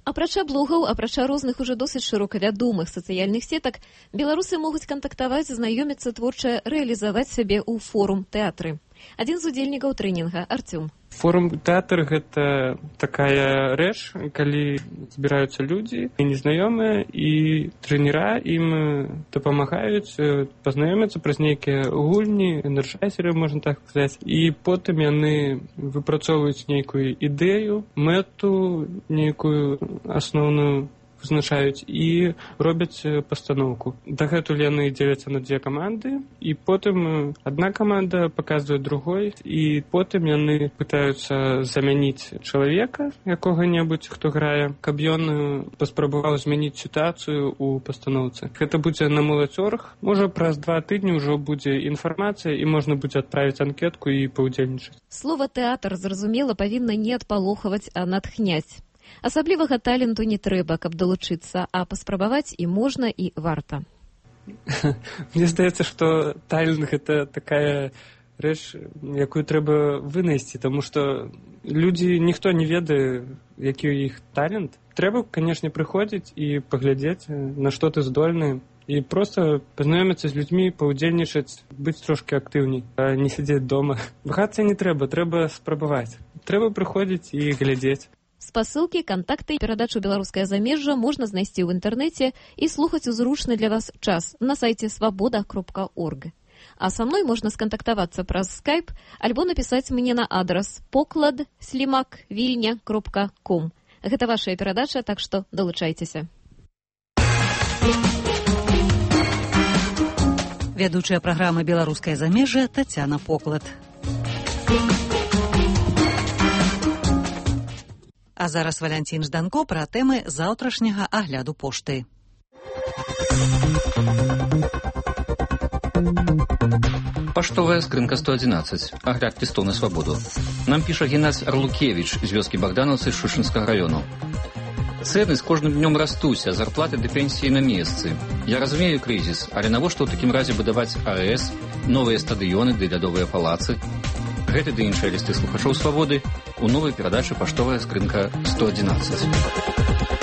[SPEAKER 17] Апрача блогаў, апрача розных ужо досыць шырока вядомых сацыяльных сетак, беларусы могуць кантактаваць, знаёміцца, творча рэалізаваць сябе ў форум-тэатры. Адзін з удзельнікаў трэнінга, Артём.
[SPEAKER 13] Форум-тэатр – гэта такая рэч, калі збіраюцца людзі незнаёмыя, і трэнера ім дапамагаюць пазнаёміцца праз нейкія гульні, энерджайзеры, можна так сказаць, і потым яны выпрацоўваюць нейкую ідэю, мэту, нейкую асноўную вызначаюць і робяць пастаноўку. Дагэтуль яны дзеляцца на 2 каманды, і потым адна каманда паказвае другой, і потым яны пытаюцца замяніць чалавека, якога-небудзь, хто грае, каб ён паспрабаваў змяніць сітуацыю ў пастаноўцы. Гэта будзе на Моладзёрг. Можа, праз 2 тыдні ўжо будзе інфармацыя, і можна будзе адправіць анкетку і паўдзельнічаць.
[SPEAKER 17] Слова «тэатр», зразумела, павінна не адпалохаваць, а натхняць. Асаблівага таленту не трэба, каб далучыцца, а паспрабаваць і можна, і варта.
[SPEAKER 13] Мне здаецца, што талент гэта такая рэч, якую трэба вынайсці, таму што людзі, ніхто не ведае, які ў іх талент. Трэба, канешне, прыходзіць і паглядзець, на што ты здольны, і проста пазнаёміцца з людзьмі, паўдзельнічаць, быць трошкі актыўней, а не сядзець дома. Вагацца не трэба, трэба спрабаваць. Трэба прыходзіць і глядзець.
[SPEAKER 17] Спасылкі, кантакты і перадачу «Беларускае замежжа» можна знайсці ў інтэрнэце і слухаць у зручны для вас час на сайце свабода.орг. А са мной можна скантактавацца праз скайп альбо напісаць мне на адрас poklad@vilnya.com. Гэта вашая перадача, так што далучайцеся.
[SPEAKER 1] Вядучая праграмы «Беларускае замежжа» Тацяна Поклад. А зараз Валянцін Жданко пра тэмы заўтрашняга агляду пошты.
[SPEAKER 14] Паштовая скрынка 111. Агляд лістоў на свабоду. Нам піша Геннадзь Арлукевіч з вёскі Богдановцы Шушынскага раёну. Цэны з кожным днём растуць, а зарплаты ды пенсіі на месцы. Я разумею крызіс, але навошта ў такім разе будаваць АЭС, новыя стадыёны ды лядовыя палацы? Гэты ды іншыя лісты слухачоў свабоды ў новай перадачы «Паштовая скрынка 111».